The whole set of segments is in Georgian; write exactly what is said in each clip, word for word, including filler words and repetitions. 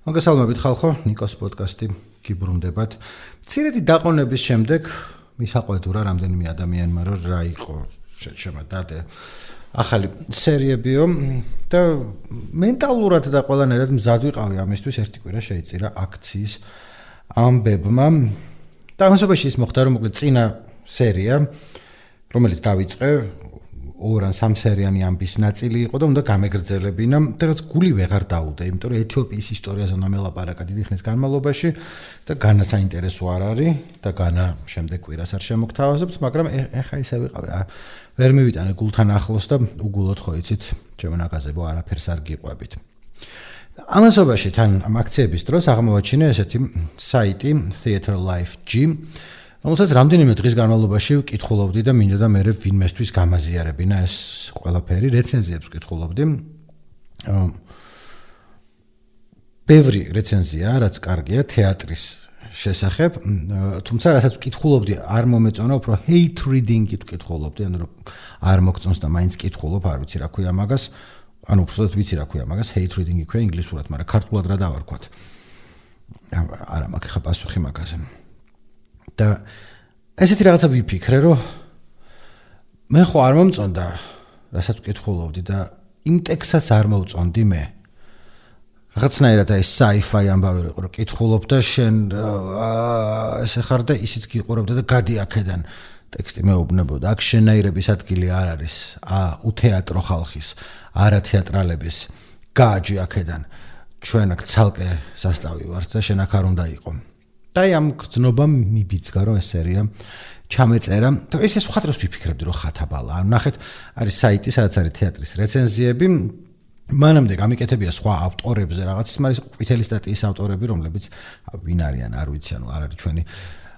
მოგესალმებით ხალხო, ნიკოს პოდკასტი გიბრუნდებათ. მცირედი დაყონების შემდეგ მისაყვედურა რამდენიმე ადამიანმა რომ რა იყო შემოდადე ახალი სერიებიო და მენტალურად და ყველანაირად მზად ვიყავი ამისთვის ერთი კვირა შეიწირა აქციის ამბებმა. და ამასობაში ის მოხდა რომ მოკლედ წინა სერია რომელიც დავიწყე ორ ან სამ სერიანი ამბის ნაწილი იყო და უნდა გამეგრძელებინა და რაც გული ვეღარ დაუდე, იმიტომ რომ ეთიოპიის ისტორიაზე უნდა მელაპარაკა დიდი ხნის განმავლობაში და განა საინტერესო არ არის და განა შემდეგ კვირას არ შემოგთავაზებთ, მაგრამ ეხა ისე ვიყავი, ვერ მივიტანე გულთან ახლოს და უგულოდ ხო იცით, ჩემო ნაგაზებო არაფერს არ გიყვებით. ამასობაში თან ამ აქციების დროს აღმოვაჩინე ესეთი საიტი Theatre Life G, რომელსაც რამდენიმე დღის განმავლობაში ვკითხულობდი და მინდოდა მე ვინმესთვის გამაზიარებინა ეს ყველაფერი, რეცენზიებს ვკითხულობდი. ბევრი რეცენზია, რაც კარგია თეატრის შესახებ, თუმცა რასაც ვკითხულობდი, არ მომეწონა, უფრო hate reading-ით ვკითხულობდი, ანუ რომ არ მოგწონს და მაინც ვკითხულობ, არ ვიცი რა ქვია მაგას, ანუ უბრალოდ ვიცი რა ქვია მაგას, hate reading ქვია ინგლისურად, მაგრამ ქართულად რა დავარქვათ. არა მაქვს ხა პასუხი მაგაზე. და ესეთი რაღაცა ვიფიქრე, რომ მე ხო არ მომწონდა, რასაც ვკითხულობდი და იმ ტექსტსაც არ მოვწონდი მე. რაღაცნაირად აი sci-fi ამბავი იყო, რომ კითხულობ და შენ ესე ხარ და ისიც გიყურებდა და გადი აქედან. ტექსტი მეუბნებოდა, აქ შენაირების ადგილი არ არის, ა უთეატრო ხალხის, არა თეატრალების, გააჯი აქედან. ჩვენ აქ ცალკე სასტავი ვართ და შენ აქ არ უნდა იყო. და ამ გრძნობამ მიბიძგა რომ ეს სერია ჩამეწერა და ეს ეს ხატროს ვიფიქრებდი რომ ხათაბალა. ანუ ნახეთ, არის საიტი, სადაც არის თეატრის რეცენზიები, მანამდე გამიკეთებია სხვა ავტორებზე რაღაც, ის არის ყვითელი სტატიის ავტორები, რომლებიც ვინ არიან, არ ვიცი, ანუ არ არის ჩვენი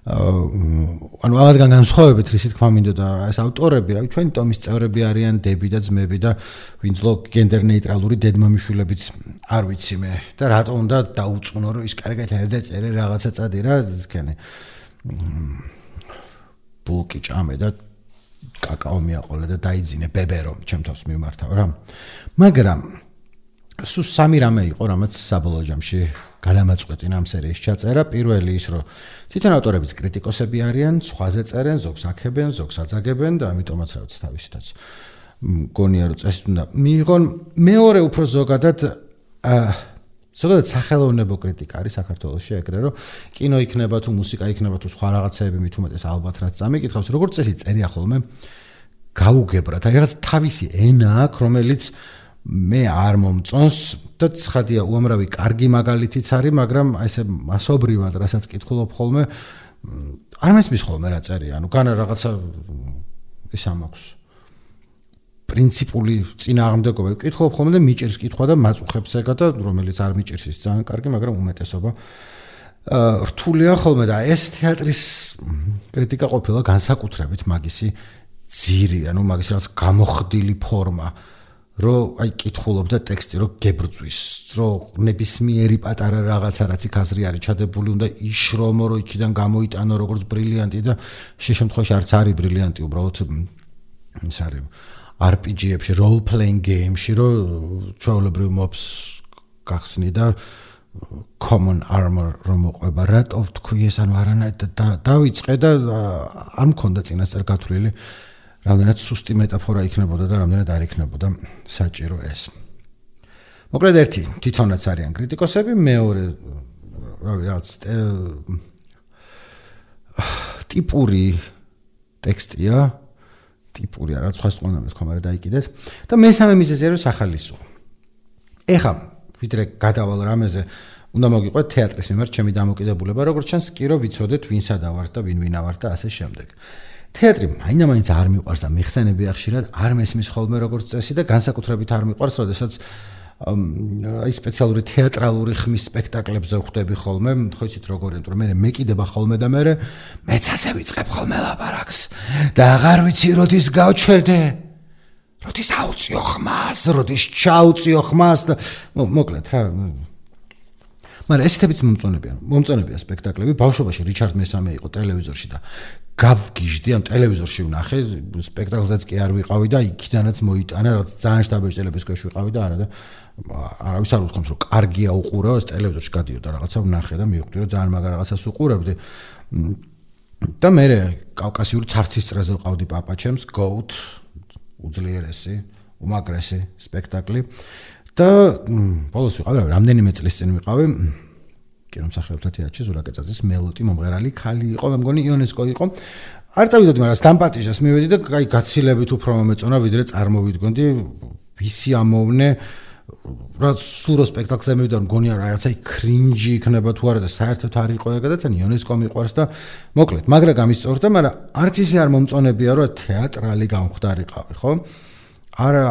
ანუ ამათგან განსხვავებით რისი თქმა მინდოდა ეს ავტორები, რავი, ჩვენი ტომის წევრები არიან, დები და ძმები და ვინძლო გენდერ ნეიტრალური დედმამიშვილებიც არ ვიცი მე და რატო უნდა დაუწყნო რომ ის კარგად ერდა წერე რაღაცა წადი რა ისქენი ბულკი ჭამე და კაკაო მიაყოლე და დაიძინე ბებერო ჩემთავს მიმართავ რა. მაგრამ სულ სამი რამე იყო, რამაც საბოლოო ჯამში გადამაწყვეტინა ამ სერიის ჩაწერა. პირველი ის, რომ თვითონ ავტორებიც კრიტიკოსები არიან, სხვაზე წერენ, ზოგს აქებენ, ზოგს აძაგებენ და ამიტომაც რა ვიცი თავისითაც მგონია რომ წესით უნდა მიიღონ. მეორე უფრო ზოგადად ზოგადად სახელოვნებო კრიტიკა არის საქართველოში ეგრე, რომ კინო იქნება თუ მუსიკა იქნება თუ სხვა რაღაცეები მით უმეტეს ალბათ რაც წამიკითხავს, როგორც წესი წერია ხოლმე გაუგებრად, აი რაღაც თავისი ენა აქვს, რომელიც მე არ მომწონს და ცხადია უამრავი კარგი მაგალითიც არის, მაგრამ აი ესე მასობრივად რასაც კითხულობ ხოლმე არ მესმის ხოლმე რა წერია, ანუ განა რაღაცა ის ამაქვს პრინციპული წინააღმდეგობა ვკითხულობ ხოლმე და მიჭირს კითხვა და მაწუხებს ეგა და რომელიც არ მიჭირს ის ძალიან კარგი, მაგრამ უმეტესობა რთულია ხოლმე და ეს თეატრის კრიტიკა ყოფილა განსაკუთრებით მაგისი ძირი, ანუ მაგისი რაღაც გამოხდილი ფორმა, რომ აი კითხულობ და ტექსტი რომ გებრძვის, რომ ნებისმიერი პატარა რაღაცა რაც იქ აზრი არის ჩადებული უნდა იშრომო, რომ იქიდან გამოიტანო როგორც ბრილიანტი და შე შემთხვევაში არც არის ბრილიანტი, უბრალოდ ის არის არ პი ჯი-ებში, role playing game-ში, რომ ჩვეულებრივ მობს გახსნი და common armor რომ მოყვება, რატო თქვი ეს, ანუ არანაირად დავიწყე და არ მქონდა წინასწარ გათვლილი რამდენად სუსტი მეტაფორა იქნებოდა და რამდენად არ იქნებოდა საჭირო ეს. მოკლედ ერთი, თვითონაც არიან კრიტიკოსები, მეორე, რავი, რაღაც ტიპური ტექსტია, ტიპური არა, სხვა სწორად მეთქვა, მაგრამ დაიკიდეთ და მესამე მიზეზია რომ სახალისო. ეხა, ვიდრე გადავალ რამეზე, უნდა მოგიყვეთ თეატრის მიმართ ჩემი დამოკიდებულება, როგორც ჩანს, კი რომ ვიცოდეთ ვინსა დავართ და ვინ ვინა ვარ და ასე შემდეგ. თეატრი მაინდა-მაინც არ მიყვარს და მიხსენებია ხშირად არ მესმის ხოლმე როგორც წესი და განსაკუთრებით არ მიყვარს, როდესაც აი სპეციალური თეატრალური ხმის სპექტაკლებზე ვხვდები ხოლმე, ხო იცით როგორ იმიტომ რომ მე მეკიდება ხოლმე და მე მეც ასე ვიწყებ ხოლმე ლაპარაკს და აღარ ვიცი როდის გავჩერდე, როდის აუწიო ხმას, როდის ჩაუწიო ხმას და მოკლედ რა მაგრამ ესეთებიც მომწონებიან. მომწონებია სპექტაკლები. ბავშვობაში რიჩარდ მესამე იყო ტელევიზორში და გავგიჟდი ამ ტელევიზორში ვნახე, სპექტაკლზეც კი არ ვიყავი და იქიდანაც მოიტანა, რაღაც ძალიან შტაბეჭდელების ქვეშ ვიყავი და არა და არავის არ უთქვამთ რომ კარგია უყურეო, ტელევიზორში გადიოდა რაღაცა ვნახე და მივხვდი რომ ძალიან მაგარ რაღაცას უყურებდი. და მე კავკასიური ცარცის წრეზე ვყავდი პაპაჩემს, Goat, უძლიერესი, უმაგრესი სპექტაკლი და ბოლოს ვიყავი, რამდენიმე წლის წინ ვიყავი კინომსახიობთა თეატრში ზურაკეცაძის მელოტი მომღერალი ქალი იყო, მე მგონი იონესკო იყო. არ წავიდოდი, მაგრამ სტამპატიჟას მივედი და აი გაცილებით უფრო მომეწონა, ვიდრე წარმოვიდგონდი, ვისი ამოვნე რა სურო სპექტაკლზე მივიდა, მგონია რაღაცა კრინჯი იქნება თუ არა და საერთოდ არ იყო ეგა და თან იონესკო მიყვარს და მოკლედ, მაგრა გამისწორდა, მაგრამ არც ისე არ მომწონებია, რომ თეატრალი გამხვდარიყავი, ხო? არა,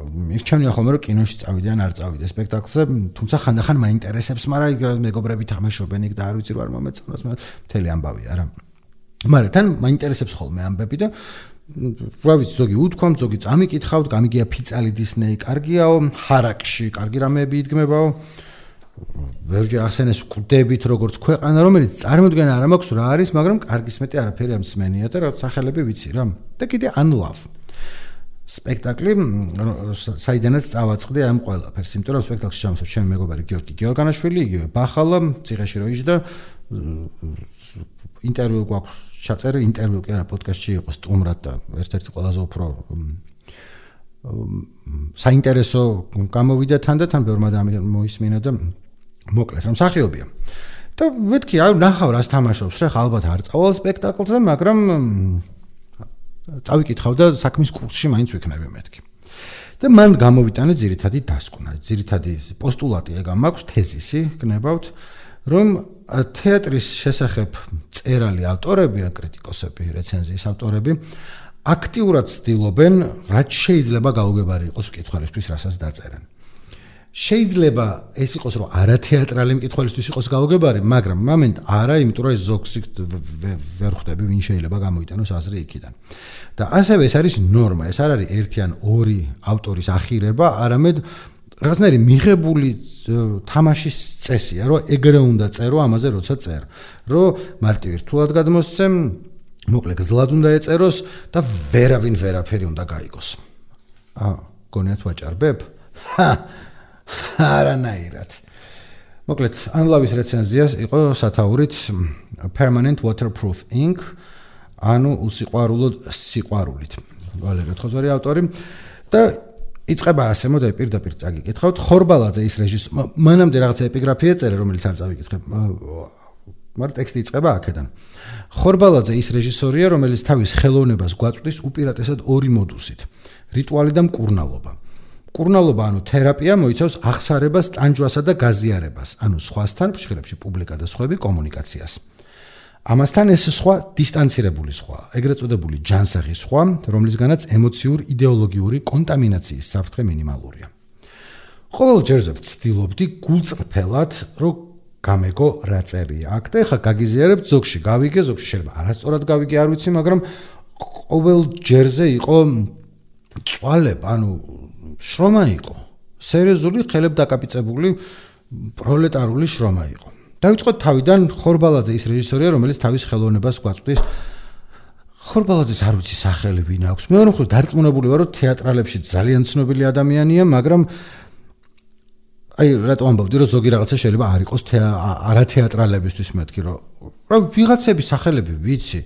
მირჩენია ხოლმე რომ კინოში წავიდე ან არ წავიდე სპექტაკლზე, თუმცა ხანდახან მაინტერესებს, მაგრამ იქ მეგობრები თამაშობენ იქ და არ ვიცი რა მომეწონოს, მთელი ამბავია რა. მაგრამ თან მაინტერესებს ხოლმე ამბები და რა ვიცი, ზოგი უთქვამ, ზოგი წამიკითხავთ, გამიგია ფიცალი დისნეი, კარგიაო, ჰარაკში, კარგი რამეები იდგმებაო. ვერჯერ ახსენეს კვდებით როგორც ქვეყანა, რომელიც წარმოდგენა არ მაქვს რა არის, მაგრამ კარგის მეტი არაფერი ამ სმენია და რაღაც სახელები ვიცი რა. და კიდე Unlove სპექტაკლი, საიდანაც წავაწყდი ამ ყველაფერს, იმიტომ რომ სპექტაკლში ჩამოსვლა ჩემი მეგობარი გიორგი გიორგანაშვილი, იგივე ბახალა, ციხეში რო იჯდა, ინტერვიუ გვაქვს ჩაწერე, ინტერვიუ კი არა, პოდკასტში იყო სტუმრად და ერთ-ერთი ყველაზე უფრო საინტერესო გამოვიდა თან და თან ბევრმა მოისმინა და მოკლედ რომ მსახიობია. და მეთქი, აი ნახავ რას თამაშობს, რა ალბათ არ წავალ სპექტაკლზე, მაგრამ წავიკითხავ და საქმის კურსში მაინც ვიქნები მეთქი. და მან გამოვიტანე ძირითადი დასკვნა, ძირითადი პოსტულატი ეგ მაქვს, თეზისი გნებავთ, რომ თეატრის შესახებ წერალი ავტორები, კრიტიკოსები, რეცენზიის ავტორები აქტიურად ცდილობენ, რაც შეიძლება გაუგებარი იყოს მკითხველისთვის, რასაც დაწერენ. შეიძლება ეს იყოს, რომ არათეატრალი მკითხველისთვის იყოს გაუგებარი, მაგრამ მომენტ არა, იმიტომ რომ ეს ზოგს ვერ ხვდები, ვინ შეიძლება გამოიტანოს აზრი იქიდან. და ასევე ეს არის ნორმა, ეს არ არის ერთი ან ორი ავტორის ახირება, არამედ რაღაცნაირი მიღებული თამაშის წესია, რომ ეგრე უნდა წერო ამაზე, როცა წერ. რომ მარტივი რთულად გადმოსცემ, მოკლედ გზლად უნდა ეწეროს და ვერავინ ვერაფერი უნდა გაიგოს. აა, გონიათ ვაჭარბებ? ჰა! არანაირად. მოკლედ, Unlove-ის რეცენზიას იყო სათაურით Permanent Waterproof Ink, ანუ უსიყვარულო სიყვარულით. ვალერე თხოზვარი ავტორი და იწყება ასე, მოდაი პირდაპირ წაგიკითხავთ. ხორბალაძე ის რეჟისორი, მანამდე რაღაცა ეპიგრაფია წერე, რომელიც არ წავიკითხე. მაგრამ ტექსტი იწყება აქედან. ხორბალაძე ის რეჟისორია, რომელიც თავის ხელოვნებას გვაწვდის უპირატესად ორი მოდუსით: რიტუალი და მკურნალობა. მკურნალობა, ანუ თერაპია, მოიცავს აღსარებას, ტანჯვასა და გაზიარებას, ანუ სხვასთან, ფრჩხილებში პუბლიკა და სხვები კომუნიკაციას. ამასთან ეს სხვა დისტანცირებული სხვა, ეგრეთ წოდებული ჯანსაღი სხვა, რომლისგანაც ემოციურ-იდეოლოგიური კონტამინაციის საფრთხე მინიმალურია. ყოველ ჯერზე ვცდილობდი გულწრფელად, რომ გამეგო რა წერია აქ და ეხლა გაგიზიარებთ, ზოგში გავიგე, ზოგში შეიძლება არასწორად გავიგე, არ ვიცი, მაგრამ ყოველ ჯერზე იყო წვალება, ანუ შრომა იყო, სერიოზული, ხელებ დაკაპიწებული პროლეტარული შრომა იყო. დავიწყოთ თავიდან, ხორბალაძე ის რეჟისორია, რომელიც თავის ხელოვნებას გვაწვდის. ხორბალაძეს არ ვიცი სახელი ვინ აქვს. მე ვარ მხრივ დარწმუნებული ვარ, რომ თეატრალებში ძალიან ცნობილი ადამიანია, მაგრამ აი რატო ამბობდი, რომ ზოგი რაღაცა შეიძლება არ იყოს არათეატრალებისთვის მეთქი, რომ რა ვიღაცების სახელები ვიცი.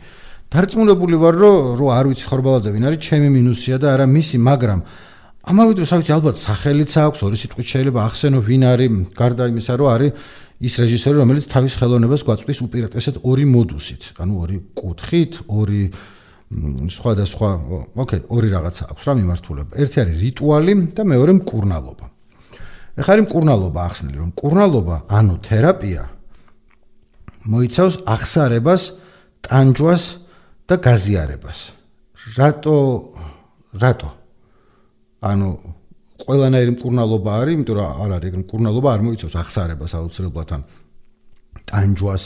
დარწმუნებული ვარ, რომ რო არ ვიცი ხორბალაძე ვინ არის, ჩემი მინუსია და არა მისი, მაგრამ ამავე დროს ვიცი ალბათ სახელიც აქვს, ორი სიტყვით შეიძლება ახსენო ვინ არის, გარდა იმისა, რომ არის ის რეჟისორი, რომელიც თავის ხელოვნებას გვაწვდის უპირატესად ორი მოდუსით, ანუ ორი კუთხით, ორი სხვადასხვა, ოკეი, ორი რაღაცა აქვს რა მიმართულება. ერთი არის რიტუალი და მეორე მკურნალობა. ეხლა არის მკურნალობა ახსნილი, რომ მკურნალობა, ანუ თერაპია მოიცავს აღსარებას, ტანჯვას და გაზიარებას. რატო რატო? ანუ ყველანაირი მკურნალობა არის, იმიტომ რომ არ არის, მკურნალობა არ მოიცავს აღსარებას აუცილებლად ან ტანჯვას,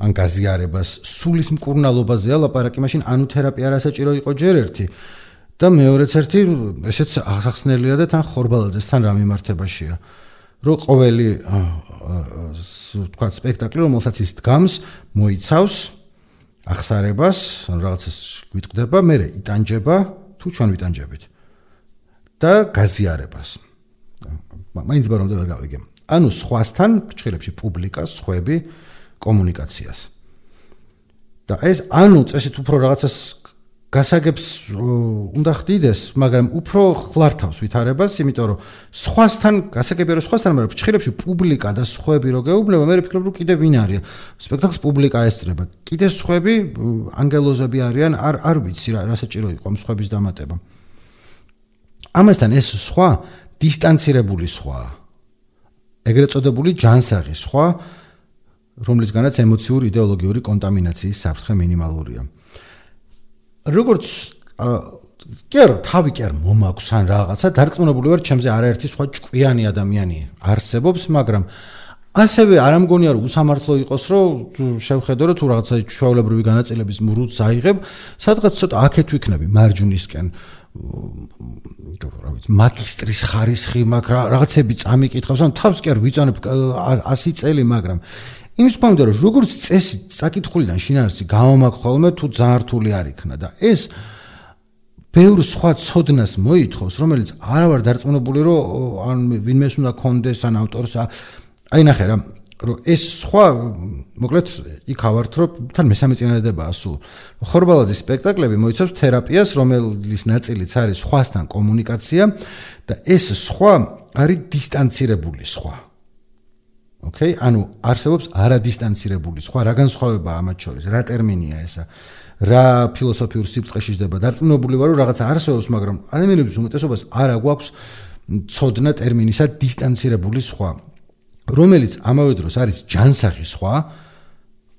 ან გაზიარებას, სულის მკურნალობაზეა ლაპარაკი, მაშინ ანუ თერაპია არასაჭირო იყო ჯერ ერთი და მეორეც ერთი, ესეც აღსახსნელია და თან ხორბალაძესთან რა მიმართებაშია. რომ ყოველი თქვა სპექტაკლი, რომელსაც ის დგამს, მოიცავს ახსარებას, ან რაღაცას გვიტყდება, მერე იტანჯება, თუ ჩვენ ვიტანჯებით და გაზიარებას. მაინც ბარომდე ვერ გავიგე. ანუ სხვასთან, ფრჩხილებში პუბლიკას, სხვები, კომუნიკაციას. და ეს ანუ წესით უფრო რაღაცას გასაგებს უნდა ხდიდეს, მაგრამ უფრო ხლართავს ვითარებას, იმიტომ რომ სხვასთან გასაგებია რომ სხვასთან, მაგრამ ფრჩხილებში პუბლიკა და სხვები რო გეუბნება, მე ვფიქრობ რომ კიდე ვინ არის? სპექტაკლს პუბლიკა ესწრება. კიდე სხვები ანგელოზები არიან, არ არ ვიცი რა, რა საჭირო იყო ამ სხვების დამატება. ამასთან ეს სხვა დისტანცირებული სხვა. ეგრეთ წოდებული ჯანსაღი სხვა, რომლისგანაც ემოციური იდეოლოგიური კონტამინაციის საფრთხე მინიმალურია. როგორც კი არა, თავი კი არ მომაქვს ან რაღაცა, დარწმუნებული ვარ, ჩემზე არაერთი სხვა ჭკვიანი ადამიანი არსებობს, მაგრამ ასევე არ ამგონია რომ უსამართლო იყოს, რომ შევხედო რომ თუ რაღაცა ჩვეულებრივი განაწილების მრუდს აიღებ, სადღაც ცოტა აქეთ ვიქნები მარჯვნისკენ. რა ვიცი, მაგისტრის ხარისხი მაქვს, რაღაცები წამიკითხავს, ან თავს კი არ ვიწონებ ასი წელი, მაგრამ იმის თქმა რომ როგორც წესი საკითხულიდან შინაარსი გამომაქვს ხოლმე თუ ძალიან რთული არ იქნა და ეს ბევრ სხვა ცოდნას მოითხოვს, რომელიც არა ვარ დარწმუნებული რომ ან ვინმეს უნდა კონდეს ან ავტორს აი ნახე რა რომ ეს სხვა მოკლედ იქ ავართ რომ თან მესამე წინადადებაა სულ ხორბალაძის სპექტაკლები მოიცავს თერაპიას, რომელის ნაწილიც არის სხვასთან კომუნიკაცია და ეს სხვა არის დისტანცირებული სხვა. Okay, ანუ არსებობს არადისტანცირებული სხვა, რა განსხვავებაა ამათ შორის, რა ტერმინია ესა, რა ფილოსოფიურ სიბრტყეში ჯდება, დარწმუნებული ვარ, რომ რაღაცა არსებობს, მაგრამ ადამიანების უმეტესობას არ აგვაქვს ცოდნა ტერმინისა დისტანცირებული სხვა, რომელიც ამავე დროს არის ჯანსაღი სხვა,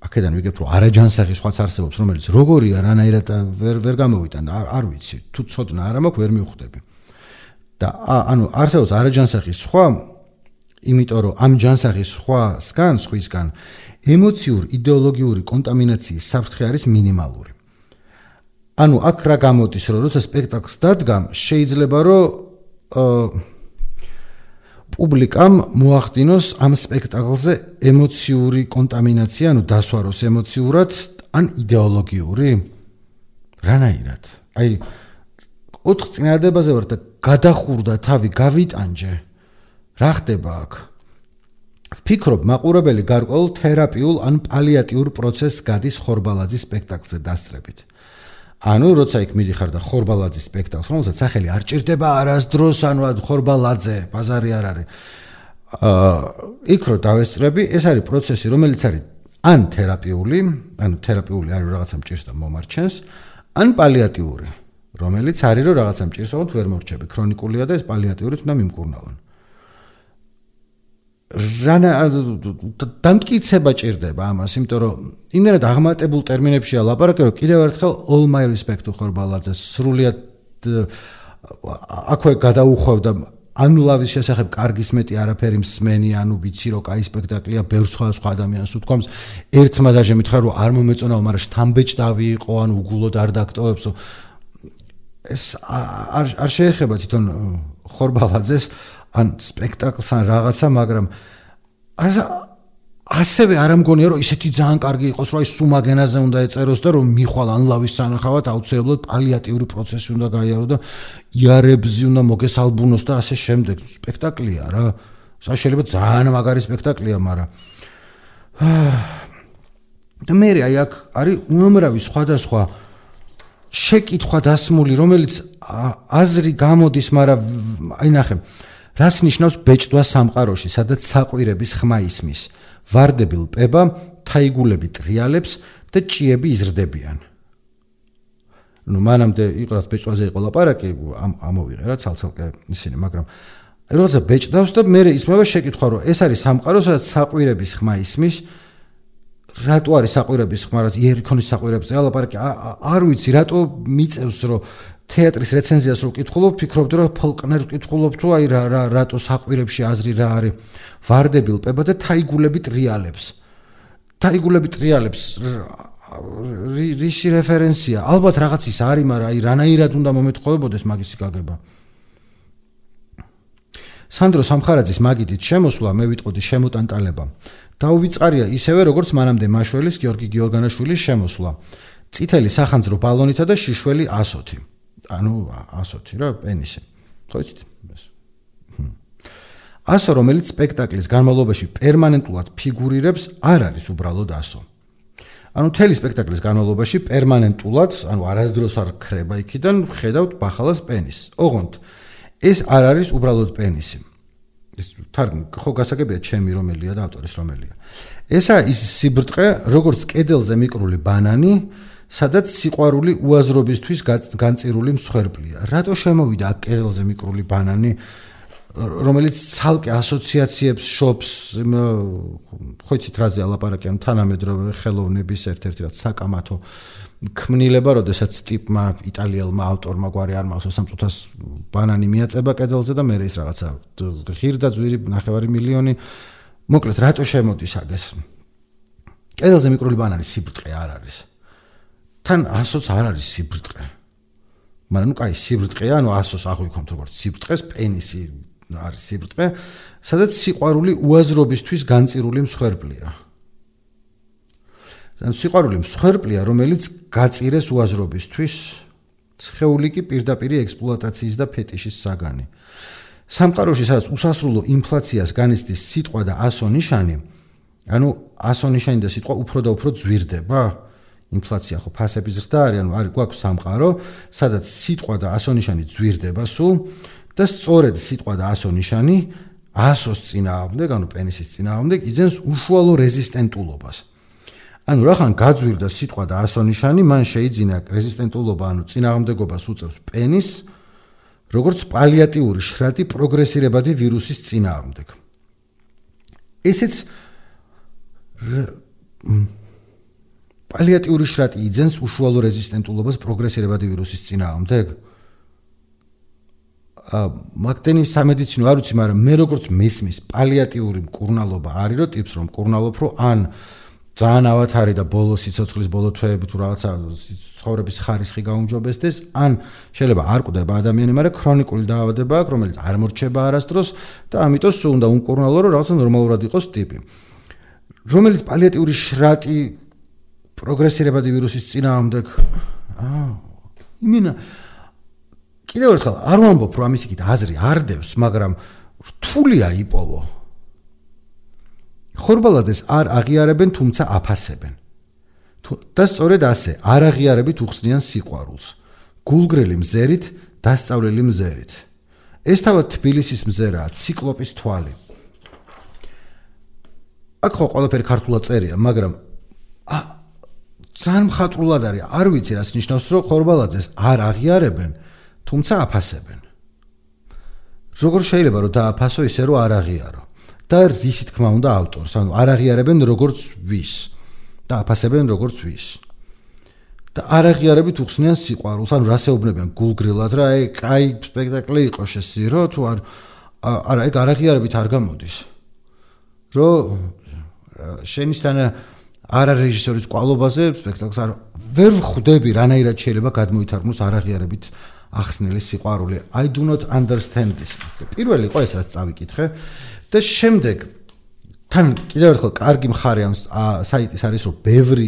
აქედან ვიგებ, რომ არაჯანსაღი სხვაც არსებობს, რომელიც როგორია, რანაირად ვერ ვერ გამოვიტან, არ არ ვიცი, თუ ცოდნა არ მაქვს, ვერ მივხვდები. და ანუ არსებობს არაჯანსაღი სხვა იმიტომ რომ ამ ჯანსაღის სხვასგან, სხვისგან ემოციურ იდეოლოგიური კონტამინაციის საფრთხე არის მინიმალური. ანუ აქ რა გამოდის, რომ როცა სპექტაკლს დადგამ, შეიძლება რომ პუბლიკამ მოახდინოს ამ სპექტაკლზე ემოციური კონტამინაცია, ანუ დასვაროს ემოციურად, ან იდეოლოგიური? რანაირად? აი, ოთხ წინადადებაზე ვარ და გადახურდა თავი, გავიტანჯე. რა ხდება აქ? ვფიქრობ, მაყურებელი გარკვეულ თერაპიულ ან პალიატიურ პროცესს გადის ხორბალაძის სპექტაკლზე დასწრებით. ანუ, როცა იქ მიდიხარ და ხორბალაძის სპექტაკლს, რომელსაც სახელი არ ჭირდება არასდროს, ანუ ხორბალაძე, ბაზარი არ არის. აა, იქ რო დავესწრები, ეს არის პროცესი, რომელიც არის ან თერაპიული, ანუ თერაპიული არის რაღაცა მჭირს და მომარჩენს, ან პალიატიური, რომელიც არის რომ რაღაცა მჭირს, თუმცა ვერ მორჩები, ქრონიკულია და ეს პალიატიურით უნდა მიმკურნალონ. რანა დამტკიცება ჭირდება ამას, იმიტომ რომ იმდენად აღმატებულ ტერმინებშია ლაპარაკი, რომ კიდევ ერთხელ all my respect to ხორბალაძეს სრულიად აქვე გადაუხვევდა ანუ ლავის შესახებ კარგის მეტი არაფერი მსმენი, ანუ ვიცი რომ კაი სპექტაკლია, ბევრ სხვა სხვა ადამიანს უთქვამს, ერთმა დაჟე მითხრა რომ არ მომეწონაო, მაგრამ შთამბეჭდავი იყო, ანუ უგულოდ არ დაგტოვებსო. ეს არ არ შეეხება თვითონ ხორბალაძეს ან სპექტაკლს ან რაღაცა, მაგრამ ასევე არ ამგონია რომ ისეთი ძალიან კარგი იყოს, რომ აი სუმაგენაზე უნდა ეწეროს და რომ მიხვალ ან ლავის სანახავად აუცილებლად პალიატიური პროცესი უნდა გაიარო და იარებზი უნდა მოგესალბუნოს და ასე შემდეგ. სპექტაკლია რა. შეიძლება ძალიან მაგარი სპექტაკლია, მაგრამ და მე აი აქ არის უამრავი სხვადასხვა შეკითხვა დასმული, რომელიც აზრი გამოდის, მაგრამ აი ნახე, რას ნიშნავს ბეჭდვა სამყაროში, სადაც საყვირების ხმა ისმის, ვარდები ლპება, თაიგულები ტრიალებს და ჭიები იზრდებიან. ნუ მანამდე იყრას ბეჭდვაზე იყო ლაპარაკი, ამოვიღე რა ცალ-ცალკე ისინი, მაგრამ როცა ბეჭდავს და მე ისმება შეკითხვა, რომ ეს არის სამყარო, სადაც საყვირების ხმა ისმის, რატო არის საყვირების ხმა, რაც იერიქონის საყვირებზე ლაპარაკი, არ ვიცი, რატო მიწევს, რომ თეატრის რეცენზიას რო ვკითხულობ, ფიქრობდი რომ ფოლკნერს ვკითხულობ, თუ აი რა რა რატო საყვირებში აზრი რა არის. ვარდები ლპება და თაიგულები ტრიალებს. თაიგულები ტრიალებს რისი რეფერენსია? ალბათ რაღაც ის არის, მაგრამ აი რანაირად უნდა მომეთხოვებოდეს მაგისი გაგება. სანდრო სამხარაძის მაგიდით შემოსვლა მე ვიტყოდი შემოტანტალება. დაუვიწყარია ისევე როგორც მანამდე მაშველის გიორგი გიორგანაშვილის შემოსვლა. წითელი სახანძრო ბალონითა და შიშველი ასოთი. ანუ ასოთი რა პენისი. ხო იცით? ასო რომელიც სპექტაკლის განმავლობაში პერმანენტულად ფიგურირებს არ არის უბრალოდ ასო. ანუ მთელი სპექტაკლის განმავლობაში პერმანენტულად, ანუ არასდროს არ ქრება იქიდან, ხედავთ ბახალას პენისს. ოღონდ ეს არ არის უბრალოდ პენისი. ეს თარგმანი ხო გასაგებია ჩემი რომელია და ავტორის რომელია. ესა ის სიბრტყე, როგორც კედელზე მიკრული ბანანი, სადაც სიყვარული უაზრობისთვის განწირული მსხვერპლია. რატო შემოვიდა აქ კედელზე მიკრული ბანანი, რომელიც ცალკე ასოციაციებს შობს, ხო იცით რაზე ალაპარაკი, ან თანამედროვე ხელოვნების ერთ-ერთი რაც საკამათო ქმნილება, როდესაც ტიპმა იტალიელმა ავტორმა გვარი არ მახსოვს სამწუთას ბანანი მიაწება კედელზე და მე ის რაღაცა ღირდა ძვირი ნახევარი მილიონი. მოკლედ რატო შემოდის აგეს? კედელზე მიკრული ბანანი სიბრტყე არ არის. თან ასოც არ არის სიბრტყე. მაგრამ ნუ კაი სიბრტყეა, ანუ ასოს აღვიქომთ როგორც სიბრტყეს, პენისი არის სიბრტყე, სადაც სიყვარული უაზრობისთვის განწირული მსხვერპლია. სიყვარული მსხვერპლია, რომელიც გაწირეს უაზრობისთვის, სხეული კი პირდაპირი ექსპლუატაციის და ფეტიშის საგანი. სამყაროში სადაც უსასრულო ინფლაციას განიცდის სიტყვა და ასო ნიშანი, ანუ ასო ნიშანი და სიტყვა უფრო და უფრო ძვირდება. ინფლაცია ხო ფასების ზრდა არის, ანუ არის გვაქვს სამყარო, სადაც სიტყვა და ასო ნიშანი ძვირდება სულ და სწორედ სიტყვა და ასო ნიშანი ასოს წინააღმდეგ, ანუ პენისის წინააღმდეგ იძენს უშუალო რეზისტენტულობას. ანუ რახან გაძვირდა სიტყვა და ასო ნიშანი, მან შეიძინა რეზისტენტულობა, ანუ წინააღმდეგობას უწევს პენისს, როგორც პალიატიური შრატი პროგრესირებადი ვირუსის წინააღმდეგ. ესეც პალიატიური შრატი იძენს უშუალო რეზისტენტულობას პროგრესირებადი ვირუსის წინააღმდეგ. მაგდენი სამედიცინო არ ვიცი, მაგრამ მე როგორც მესმის პალიატიური მკურნალობა არის, რომ ტიპს რომ მკურნალობ, რომ ან ძალიან ავათარი და ბოლო სიცოცხლის ბოლო თვეები თუ რაღაცა ცხოვრების ხარისხი გაუმჯობესდეს, ან შეიძლება არ კვდება ადამიანი, მაგრამ ქრონიკული დაავადება აქვს, რომელიც არ მორჩება არასდროს და ამიტომ სულ უნდა უმკურნალო, რომ რაღაცა ნორმალურად იყოს ტიპი. რომელიც პალიატიური შრატი პროგრესირებადი ვირუსის წინააღმდეგ. აა, იმინა კიდევ ერთხელ არ ვამბობ, რომ ამის იქით აზრი არ დევს, მაგრამ რთულია იპოვო. ხორბალაძეს არ აღიარებენ, თუმცა აფასებენ. და სწორედ ასე, არ აღიარებით უხსნიან სიყვარულს. გულგრილი მზერით, დასწავლელი მზერით. ეს თავად თბილისის მზერაა, ციკლოპის თვალი. აქ ხო ყველაფერი ქართულად წერია, მაგრამ ძალიან მხატვრულად არის, არ ვიცი რას ნიშნავს, რომ ხორბალაძეს არ აღიარებენ, თუმცა აფასებენ. როგორ შეიძლება რომ დააფასო ისე რომ არ აღიარო? და რისი თქმა უნდა ავტორს, ანუ არ აღიარებენ როგორც ვის და აფასებენ როგორც ვის. და არ აღიარებით უხსნიან სიყვარულს, ანუ რას ეუბნებიან გულგრილად რა, აი, კაი სპექტაკლი იყო შესირო, თუ არ არა, ეგ არ აღიარებით არ გამოდის. რომ შენისთან არა რეჟისორის კვალობაზე სპექტაკლს არ ვერ ვხვდები რანაირად შეიძლება გადმოითარგმნოს არ აღიარებით ახსნილი სიყვარული. I do not understand this. პირველი იყო ეს რაც წავიკითხე და შემდეგ თან კიდევ ერთხელ კარგი მხარე ამ საიტის არის რომ ბევრი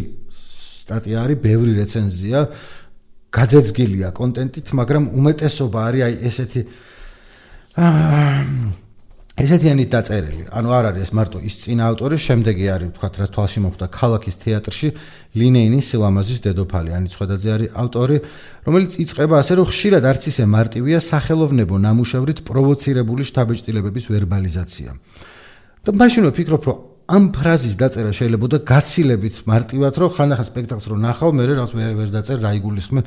სტატია არის, ბევრი რეცენზია, გაძეძგილია კონტენტით, მაგრამ უმეტესობა არის აი ესეთი ესეთიანით დაწერილი. ანუ არ არის ეს მარტო ის წინა ავტორი, შემდეგი არის თქვათ რა თვალში მოხვდა ქალაქის თეატრში ლინეინის სილამაზის დედოფალი, ანი ცხვედაძე არის ავტორი, რომელიც იწყება ასე რომ ხშირად არც ისე მარტივია სახელოვნებო ნამუშევრით პროვოცირებული შთაბეჭდილებების ვერბალიზაცია. და მაშინ ვფიქრობ, რომ ამ ფრაზის დაწერა შეიძლება და გაცილებით მარტივად, რომ ხანდახან სპექტაკლს რო ნახავ, მე რაღაც ვერ ვერ დაწერ რა იგულისხმე.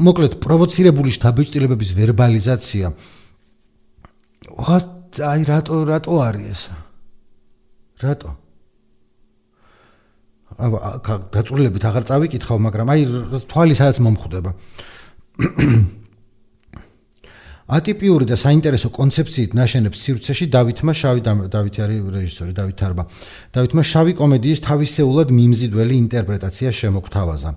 მოკლედ პროვოცირებული შთაბეჭდილებების ვერბალიზაცია. What აი რატო რატო არის ეს? რატო? აბა დაწურლებით აღარ წავიკითხავ, მაგრამ აი თვალი სადაც მომხვდება. ატიპიური და საინტერესო კონცეფციით ნაშენებს სივრცეში დავითმა შავი დავითი არის რეჟისორი დავით თარბა. დავითმა შავი კომედიის თავისეულად მიმზიდველი ინტერპრეტაცია შემოგთავაზა.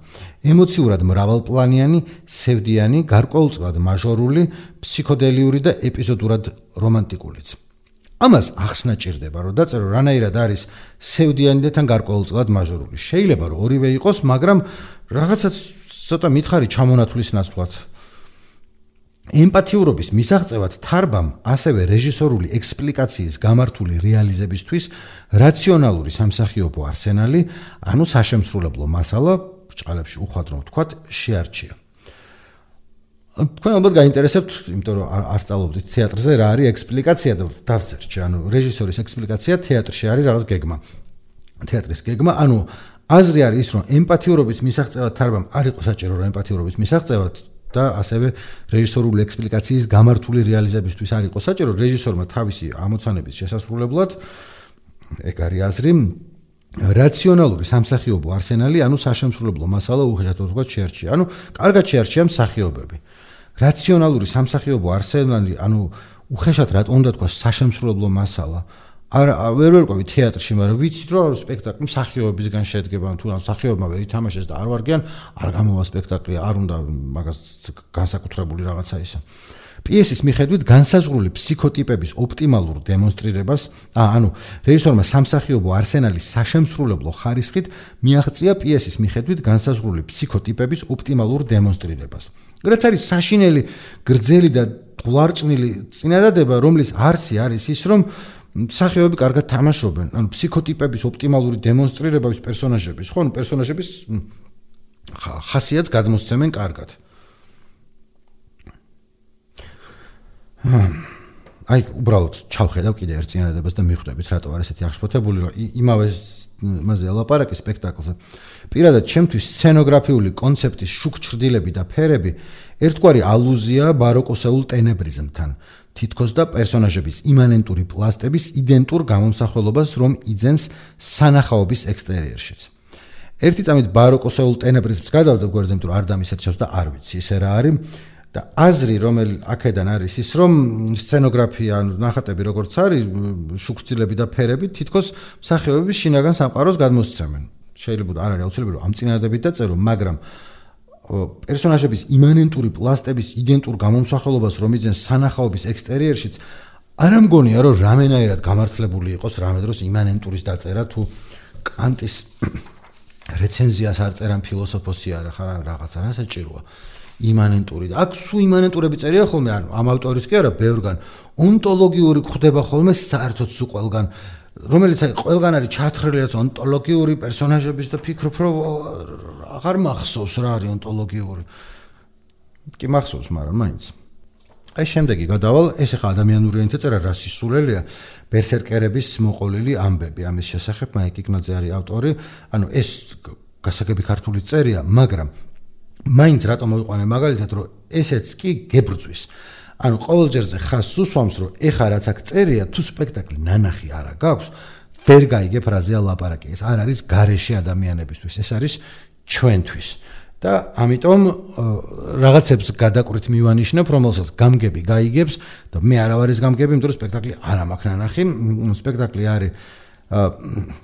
ემოციურად მრავალპლანიანი, სევდიანი, გარკვეულწილად მაჟორული, ფსიქოდელიური და ეპიზოდურად რომანტიკულიც. ამას ახსნა ჭირდება, რომ დაწერო რანაირად არის სევდიანი და თან გარკვეულწილად მაჟორული. შეიძლება რომ ორივე იყოს, მაგრამ რაღაცაც ცოტა მითხარი ჩამონათვლის ნაცვლად. ემპათიურობის მისაღწევად თარბამ ასევე რეჟისორული ექსპლიკაციის გამართული რეალიზებისთვის რაციონალური სამსახიობო არსენალი, ანუ საშემსრულებლო მასალა, ბრჭყალებში უხვად რომ ვთქვათ, შეარჩია. თქვენ ალბათ გაინტერესებთ, იმიტომ რომ არ სწავლობდით თეატრზე, რა არის ექსპლიკაცია და დავწერჩი, ანუ რეჟისორის ექსპლიკაცია თეატრში არის რაღაც გეგმა. თეატრის გეგმა, ანუ აზრი არის ის, რომ ემპათიურობის მისაღწევად თარბამ არ იყო საჭირო, რომ ემპათიურობის მისაღწევად და ასევე რეჟისორული ექსპლიკაციის გამართული რეალიზებისთვის არ იყო საჭირო, რეჟისორმა თავისი ამოცანების შესასრულებლად, ეგ არის აზრი, რაციონალური სამსახიობო არსენალი, ანუ საშემსრულებლო მასალა უხეშად ვთქვათ შეარჩია. ანუ კარგად შეარჩია მსახიობები. რაციონალური სამსახიობო არსენალი, ანუ უხეშად რატომ უნდა თქვა საშემსრულებლო მასალა. არ ვერ ვერკვევი თეატრში, მაგრამ ვიცით რომ სპექტაკლი მსახიობებისგან შედგება, თუ რა მსახიობმა ვერ ითამაშეს და არ ვარგიან, არ გამოვა სპექტაკლი, არ უნდა მაგას განსაკუთრებული რაღაცა ისა. პიესის მიხედვით განსაზღვრული ფსიქოტიპების ოპტიმალურ დემონსტრირებას, ანუ რეჟისორმა სამსახიობო არსენალის საშემსრულებლო ხარისხით მიაღწია პიესის მიხედვით განსაზღვრული ფსიქოტიპების ოპტიმალურ დემონსტრირებას. რაც არის საშინელი, გრძელი და ღლარჭნილი წინადადება, რომლის არსი არის ის, რომ მსახიობები კარგად თამაშობენ, ანუ ფსიქოტიპების ოპტიმალური დემონსტრირება ის პერსონაჟების, ხო, ანუ პერსონაჟების ხასიათს გადმოსცემენ კარგად. აი, უბრალოდ ჩავხედავ კიდე ერთ წინადადებას და მიხვდებით, რატო არის ესეთი აღშფოთებული, რომ იმავე მასე ლაპარაკი სპექტაკლზე. პირადად ჩემთვის სცენოგრაფიული კონცეფტის შუქჩრდილები და ფერები ერთგვარი ალუზია ბაროკოსეულ ტენებრიზმთან. თითქოს და პერსონაჟების იმანენტური პლასტების იდენტურ გამომსახველობას რომ იძენს სანახაობის ექსტერიერშიც. ერთი წამით ბაროკოსეულ ტენებრიზმს გადავდა გვერდზე, იმიტომ რომ არ დამისერჩევს და არ ვიცი ესე რა არის და აზრი რომელი აქედან არის ის რომ სცენოგრაფია, ანუ ნახატები როგორც არის, შუქჩრდილები და ფერები თითქოს მსახიობების შინაგან სამყაროს გადმოსცემენ. შეიძლება არ არის აუცილებელი რომ ამ წინადადებით დაწერო, მაგრამ პერსონაჟების იმანენტური პლასტების იდენტურ გამომსახველობას რომ იძენს სანახაობის ექსტერიერშიც არ ამგონია რომ რამენაირად გამართლებული იყოს რამე დროს იმანენტურის დაწერა თუ კანტის რეცენზიას არ წერან ფილოსოფოსი არა ხარ რაღაცა რა საჭიროა იმანენტური და აქ სულ იმანენტურები წერია ხოლმე ანუ ამ ავტორის კი არა ბევრგან ონტოლოგიური ხდება ხოლმე საერთოდ სულ ყველგან რომელიც აი ყველგან არის ჩათხრილი რაც ონტოლოგიური პერსონაჟების და ფიქრობ რომ აღარ მახსოვს რა არის ონტოლოგიური კი მახსოვს მაგრამ მაინც აი შემდეგი გადავალ ეს ახლა ადამიანური ენით წერა რა სისულელია ბერსერკერების მოყოლილი ამბები ამის შესახებ მაიკ იკნაძე არის ავტორი ანუ ეს გასაგები ქართული წერია მაგრამ მაინც რატომ მოვიყვანე მაგალითად რომ ესეც კი გებრძვის ანუ ყოველჯერზე ხაზს უსვამს რომ ეხა რაც აქ წერია თუ სპექტაკლი ნანახი არა გაქვს ვერ გაიგებ რაზეა ლაპარაკი ეს არ არის გარეშე ადამიანებისთვის ეს არის ჩვენთვის და ამიტომ რაღაცებს გადაკვრით მივანიშნებ რომელსაც გამგები გაიგებს და მე არა ვარ ეს გამგები იმიტომ რომ სპექტაკლი არ მაქვს ნანახი სპექტაკლი არის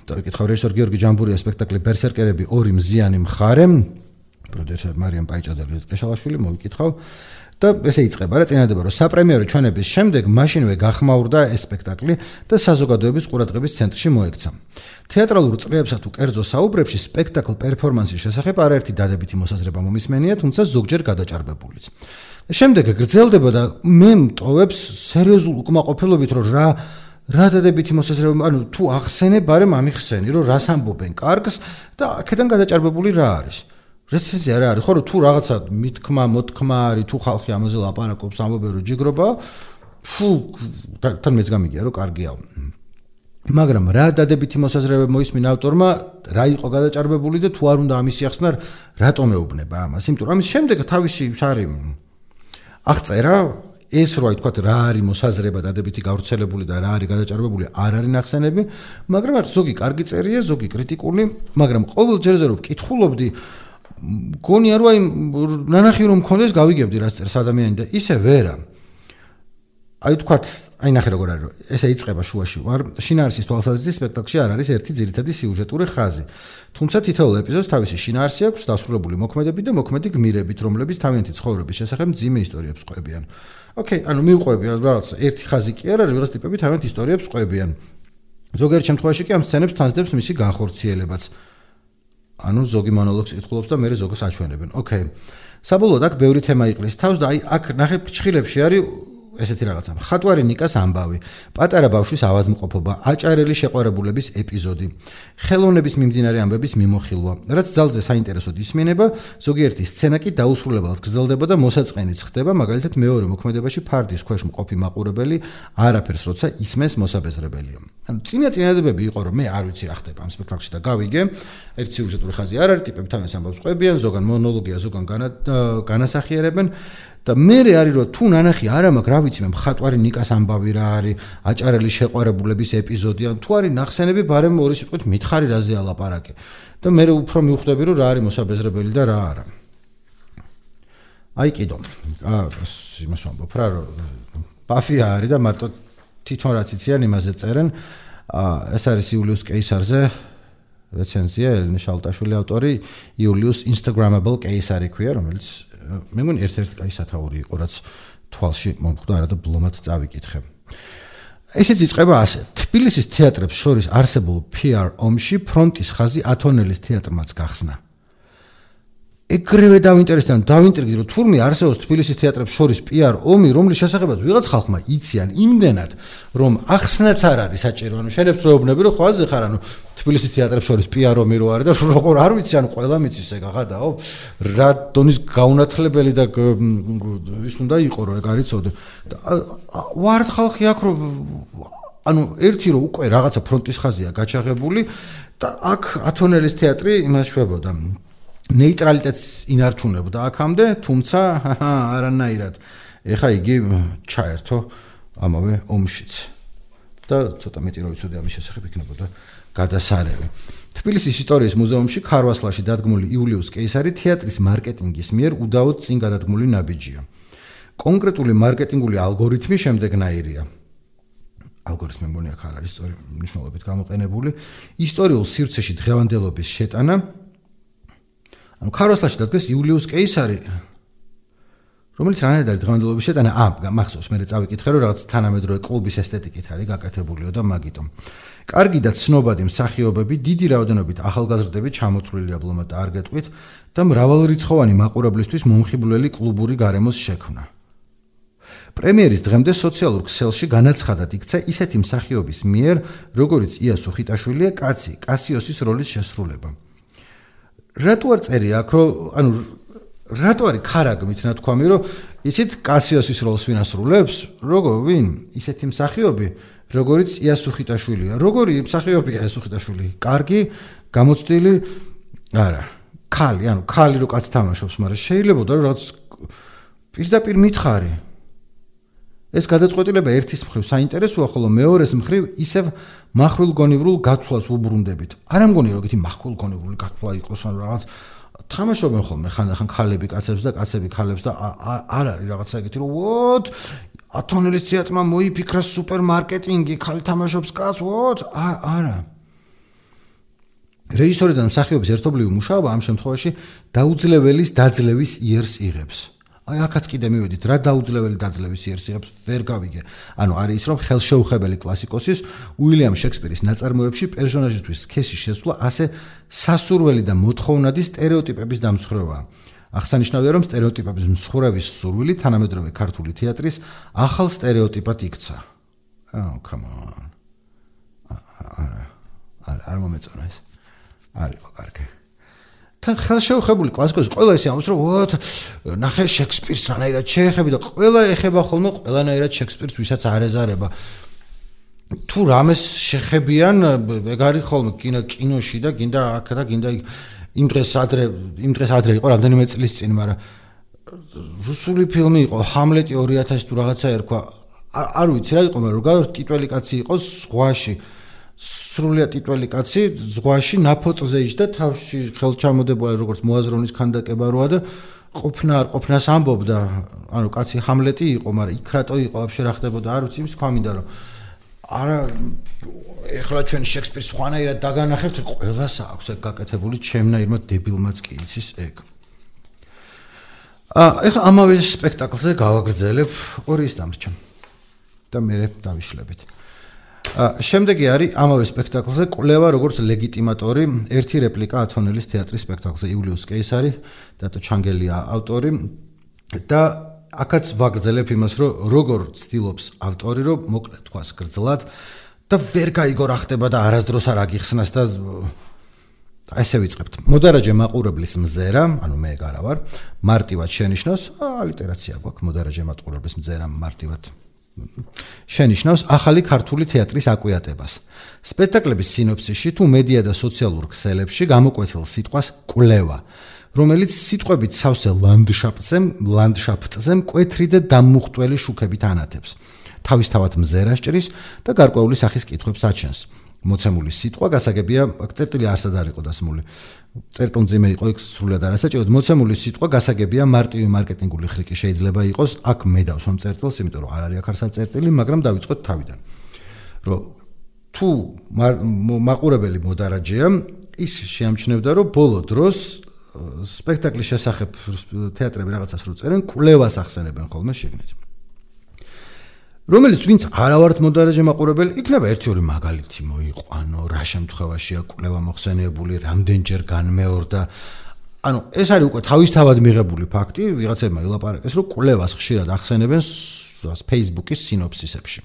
და ვიკითხავ რეჟისორ გიორგი ჯამბურიას სპექტაკლი ბერსერკერები ორი მზიანი მხარე პროდიუსერ მარიამ პაიჭაძე ყეშალაშვილი მოვიკითხავ და ესე იწყება რა წინადადება რომ საპრემიერო ჩვენების შემდეგ მაშინვე გახმაურდა ეს სპექტაკლი და საზოგადოების ყურადღების ცენტრში მოექცა. თეატრალურ წრეებსა თუ კერძო საუბრებში სპექტაკლ პერფორმანსის შესახებ არაერთი დადებითი მოსაზრება მომისმენია, თუმცა ზოგჯერ გადაჭარბებულიც. შემდეგ გრძელდება და მე მტოვებს სერიოზულ უკმაყოფილობით რომ რა რა დადებითი მოსაზრება, ანუ თუ ახსენებ, არემ ამიხსენი, რომ რას ამბობენ კარგს და აქედან გადაჭარბებული რა არის. რეცენზია რა არის ხო რომ თუ რაღაცა მithქმა მოთქმა არის თუ ხალხი ამაზე ლაპარაკობს ამბობენ რომ ჯიგრობა ფუ თან მეც გამიგია რომ კარგია მაგრამ რა დადებითი მოსაზრებები მოისმინა ავტორმა რა იყო გადაჭარბებული და თუ არ უნდა ამის ახსნა რატომ ეუბნება ამას იმიტომ რომ ამის შემდეგ თავისი არის აღწერა ეს რო აი თქვა რა არის მოსაზრება დადებითი გავრცელებული და რა არის გადაჭარბებული არ არის ნახსენები მაგრამ ზოგი კარგი წერია ზოგი კრიტიკული მაგრამ ყოველ ჯერზე რომ ვკითხულობდი გონია რომ აი ნანახი რომ მქონდეს გავიგებდი რა წერს ადამიანი და ისე ვერა აი თქვა აი ნახე როგორ არის ესე იწყება შუაში ვარ შინაარსის თვალსაზრისით სპექტაკლში არ არის ერთი ძირითადი სიუჟეტური ხაზი თუმცა თითოეულ ეპიზოდს თავისი შინაარსი აქვს დასრულებული მოქმედები და მოქმედი გმირებით რომლებიც თავიანთი ცხოვრების შესახებ მძიმე ისტორიებს ყვებიან ოკეი, ანუ მივყვებიან რაღაც ერთი ხაზი კი არა, რაღაც ტიპები თავიანთ ისტორიებს ყვებიან. ზოგიერთ შემთხვევაში კი ამ სცენებს თან ძდებს მისი განხორციელებაც. ანუ ზოგი მონოლოგს იკითხულობს და მე ზოგს აჩვენებენ. ოკეი. საბოლოოდ აქ ბევრი თემა იყრის თავს და აი აქ ნახე ფრჩხილებში არის ესეთი რაღაცა. მხატვარი ნიკას ამბავი, პატარა ბავშვის ავადმყოფობა, აჭარელი შეყვარებულების ეპიზოდი, ხელოვნების მიმდინარე ამბების მიმოხილვა, რაც ძალზე საინტერესოდ ისმინება, ზოგიერთი სცენა კი დაუსრულებლად გრძელდება და მოსაწყენიც ხდება, მაგალითად მეორე მოქმედებაში ფარდის ქვეშ მყოფი მაყურებელი არაფერს როცა ისმენს მოსაბეზრებელია. ანუ წინა წინადადებები იყო რომ მე არ ვიცი რა ხდება ამ სპექტაკლში და გავიგე, ერთ სიუჟეტური ხაზი არ არის, ტიპები თავის ამბავს ყვებიან, ზოგან მონოლოგია, ზოგან განასახიერებენ და მე არის რომ თუ ნანახი არა მაქვს რა ვიცი მე მხატვარი ნიკას ამბავი რა არის აჭარელი შეყვარებულების ეპიზოდი ან თუ არის ნახსენები ბარემ ორი სიტყვით მითხარი რაზე ალაპარაკე და მე უფრო მივხვდები რომ რა არის მოსაბეზრებელი და რა არა აი კიდო აა იმას ვამბობ რა რომ ბაფია არის და მარტო თვითონ რაც იციან იმაზე წერენ აა ეს არის იულიუს კეისარზე რეცენზია ელენე შალტაშვილი ავტორი იულიუს Instagrammable კეისარი ქვია რომელიც მე მგონი ერთ-ერთი კაი სათაური იყო რაც თვალში მომხვდა არა და ბლომად წავიკითხე. ესეც იწყება ასე. თბილისის თეატრებს შორის არსებულ პი არ ომში ფრონტის ხაზი ათონელის თეატრმაც გახსნა. ეგრევე დავინტერესდა, დავინტრიგდი რომ თურმე არსებობს თბილისის თეატრებს შორის პი არ ომი, რომლის შესახებაც ვიღაც ხალხმა იციან იმდენად, რომ ახსნაც არ არის საჭირო. ანუ შენებს როებნები რომ ხوازე ხარ, ანუ თბილისის თეატრებს შორის პი არ ომი რო არის და როგორ არ ვიცი, ანუ ყველა მიცის ეგ აღადაო. რა დონის გაუნათლებელი და ის უნდა იყო რომ ეგ არიცოდე. ვართ ხალხი აქ რომ ანუ ერთი რომ უკვე რაღაცა ფრონტის ხაზია გაჩაღებული და აქ ათონელის თეატრი იმას შვებოდა. ნეიტრალიტეტს ინარჩუნებდა აქამდე, თუმცა არანაირად. ეხა იგი ჩაერთო ამავე ომშიც. და ცოტა მეტი რო იცოდე ამის შესახებ იქნებოდა გადასარევი. თბილისის ისტორიის მუზეუმში ქარვასლაში დადგმული იულიუს კეისარი თეატრის მარკეტინგის მიერ უდაოდ წინ გადადგმული ნაბიჯია. კონკრეტული მარკეტინგული ალგორითმი შემდეგნაირია. ალგორითმი მგონი აქ არ არის სწორი მნიშვნელობით გამოყენებული. ისტორიულ სივრცეში დღევანდელობის შეტანა ანუ ქარვასლაში დადგეს იულიუს კეისარი რომელიც რანაირად არის დღევანდელობის შეტანა აა მახსოვს მე წავიკითხე რომ რაღაც თანამედროვე კლუბის ესთეტიკით არის გაკეთებულიო და მაგიტომ კარგი და ცნობადი მსახიობები დიდი რაოდენობით ახალგაზრდები ჩამოთვლილია ბლომად არ გეტყვით და მრავალრიცხოვანი მაყურებლისთვის მომხიბვლელი კლუბური გარემოს შექმნა პრემიერის დღემდე სოციალურ ქსელში განაცხადად იქცა ისეთი მსახიობის მიერ როგორიც იასო ხიტაშვილია კაცი კასიოსის როლის შესრულება რატო არ წერია აქ რომ ანუ რატო არის ქარაგმით ნათქვამი რომ ისეთ კასიოსის როლს ვინასრულებს როგორ ვინ ისეთი მსახიობი როგორიც იასო ხიტაშვილია როგორი მსახიობია იასო ხიტაშვილი კარგი გამოცდილი არა ქალი ანუ ქალი რო კაც თამაშობს მაგრამ შეიძლება რომ რაღაც პირდაპირ მითხარი ეს გადაწყვეტილება ერთის მხრივ საინტერესოა ხოლო მეორეს მხრივ ისევ მახვილგონივრულ გათვლას უბრუნდებით არ ამგონი რომ იგივე მახვილგონივრული გათვლა იყოს ან რაღაც თამაშობენ ხოლმე ხანდახან ქალები კაცებს და კაცები ქალებს და არ არის რაღაცა ეგეთი რომ ვოთ ათონელის თეატრმა მოიფიქრა სუპერმარკეტინგი ქალი თამაშობს კაცს ვოთ არა რეჟისორი და მსახიობის ერთობლივი მუშაობა ამ შემთხვევაში დაუძლებელის დაძლევის იერს იღებს აი აქაც კიდე მივედით რა დაუძლეველი დაძლევის იერს იღებს ვერ გავიგე ანუ არის ის რომ ხელშეუხებელი კლასიკოსის უილიამ შექსპირის ნაწარმოებში პერსონაჟისთვის სქესის შესვლა ასე სასურველი და მოთხოვნადი სტერეოტიპების დამსხვრევაა აღსანიშნავია რომ სტერეოტიპების მსხვერპლის სურვილი თანამედროვე ქართული თეატრის ახალ სტერეოტიპად იქცა აუ come on არა არ მომეწონა ეს არისო კარგი თან ხელშეუხებული კლასიკოსი ყველა ისე ამბობს რომ ვოთ ნახე შექსპირს რანაირად შეეხები და ყველა ეხება ხოლმე ყველანაირად შექსპირს ვისაც არ ეზარება თუ რამეს შეხებიან ეგ არის ხოლმე კინო კინოში და გინდა აქ და გინდა იმ დღეს ადრე იმ დღეს ადრე იყო რამდენიმე წლის წინ მაგრამ რუსული ფილმი იყო ჰამლეტი ორი ათასი თუ რაღაცა ერქვა არ ვიცი რა იყო მაგრამ როგორ ტიტველი კაცი იყოს ზღვაში სრულიად ტიტველი კაცი ზღვაში ნაფოტზე იჯდა თავში ხელჩამოდებულა როგორც მოაზროვნის ქანდაკება როა და ყოფნა არ ყოფნას ამბობდა ანუ კაცი ჰამლეტი იყო მაგრამ იქ რატო იყო ვაფშე რა ხდებოდა არ ვიცი იმის თქვა მინდა რომ არა ეხლა ჩვენ შექსპირს სხვანაირად დაგანახებთ ყველას აქვს ეგ გაკეთებული ჩემნაირმა დებილმაც კი იცის ეგ ეხლა ამავე სპექტაკლზე გავაგრძელებ ორი ის დამრჩა და მე დავიშლებით. შემდეგი არის ამავე სპექტაკლზე კვლევა როგორც ლეგიტიმატორი, ერთი რეპლიკა ათონელის თეატრის სპექტაკლზე იულიუს კეისარი, დატო ჩანგელია ავტორი და აქაც ვაგრძელებ იმას, რომ როგორ ცდილობს ავტორი, რომ მოკლედ თქვას გრძლად და ვერ გაიგო რა ხდება და არასდროს არ აგიხსნას და ესე ვიწყებთ. მოდარაჯე მაყურებლის მზერა, ანუ მე გარა ვარ, მარტივად შენიშნავს, ალიტერაცია გვაქვს, მოდარაჯე მაყურებლის მზერა მარტივად შენიშნავს ახალი ქართული თეატრის აკვიატებას. სპექტაკლების სინოფსისში თუ მედია და სოციალურ ქსელებში გამოკვეთილ სიტყვას კვლევა, რომელიც სიტყვებით სავსე ლანდშაფტზე, ლანდშაფტზე მკვეთრი და დამუხტველი შუქებით ანათებს. თავისთავად მზერას ჭრის და გარკვეული სახის კითხვებს აჩენს. მოცემული სიტყვა გასაგებია, წერტილი არსად არ იყო დასმული. წერტილმძიმე იყო იქ სრულად არასაჭიროდ. მოცემული სიტყვა გასაგებია მარტივი მარკეტინგული ხრიკი შეიძლება იყოს. აქ მე დავსვამ წერტილს, იმიტომ რომ არ არის აქ არსად წერტილი, მაგრამ დავიწყოთ თავიდან. რომ თუ მაყურებელი მოდარაჯეა, ის შეამჩნევდა, რომ ბოლო დროს სპექტაკლის შესახებ თეატრები რაღაცას რო წერენ, კვლევას ახსენებენ ხოლმე შიგნით. რომელიც ვინც არავართ მოდარაჯე მაყურებელი, იქნება ერთი ორი მაგალითი მოიყვანო, რა შემთხვევაშია კვლევა მოხსენებული, რამდენჯერ განმეორდა. ანუ ეს არის უკვე თავისთავად მიღებული ფაქტი, ვიღაცებმა ილაპარაკეს, რომ კვლევას ხშირად ახსენებენ Facebook-ის სინოფსისებში.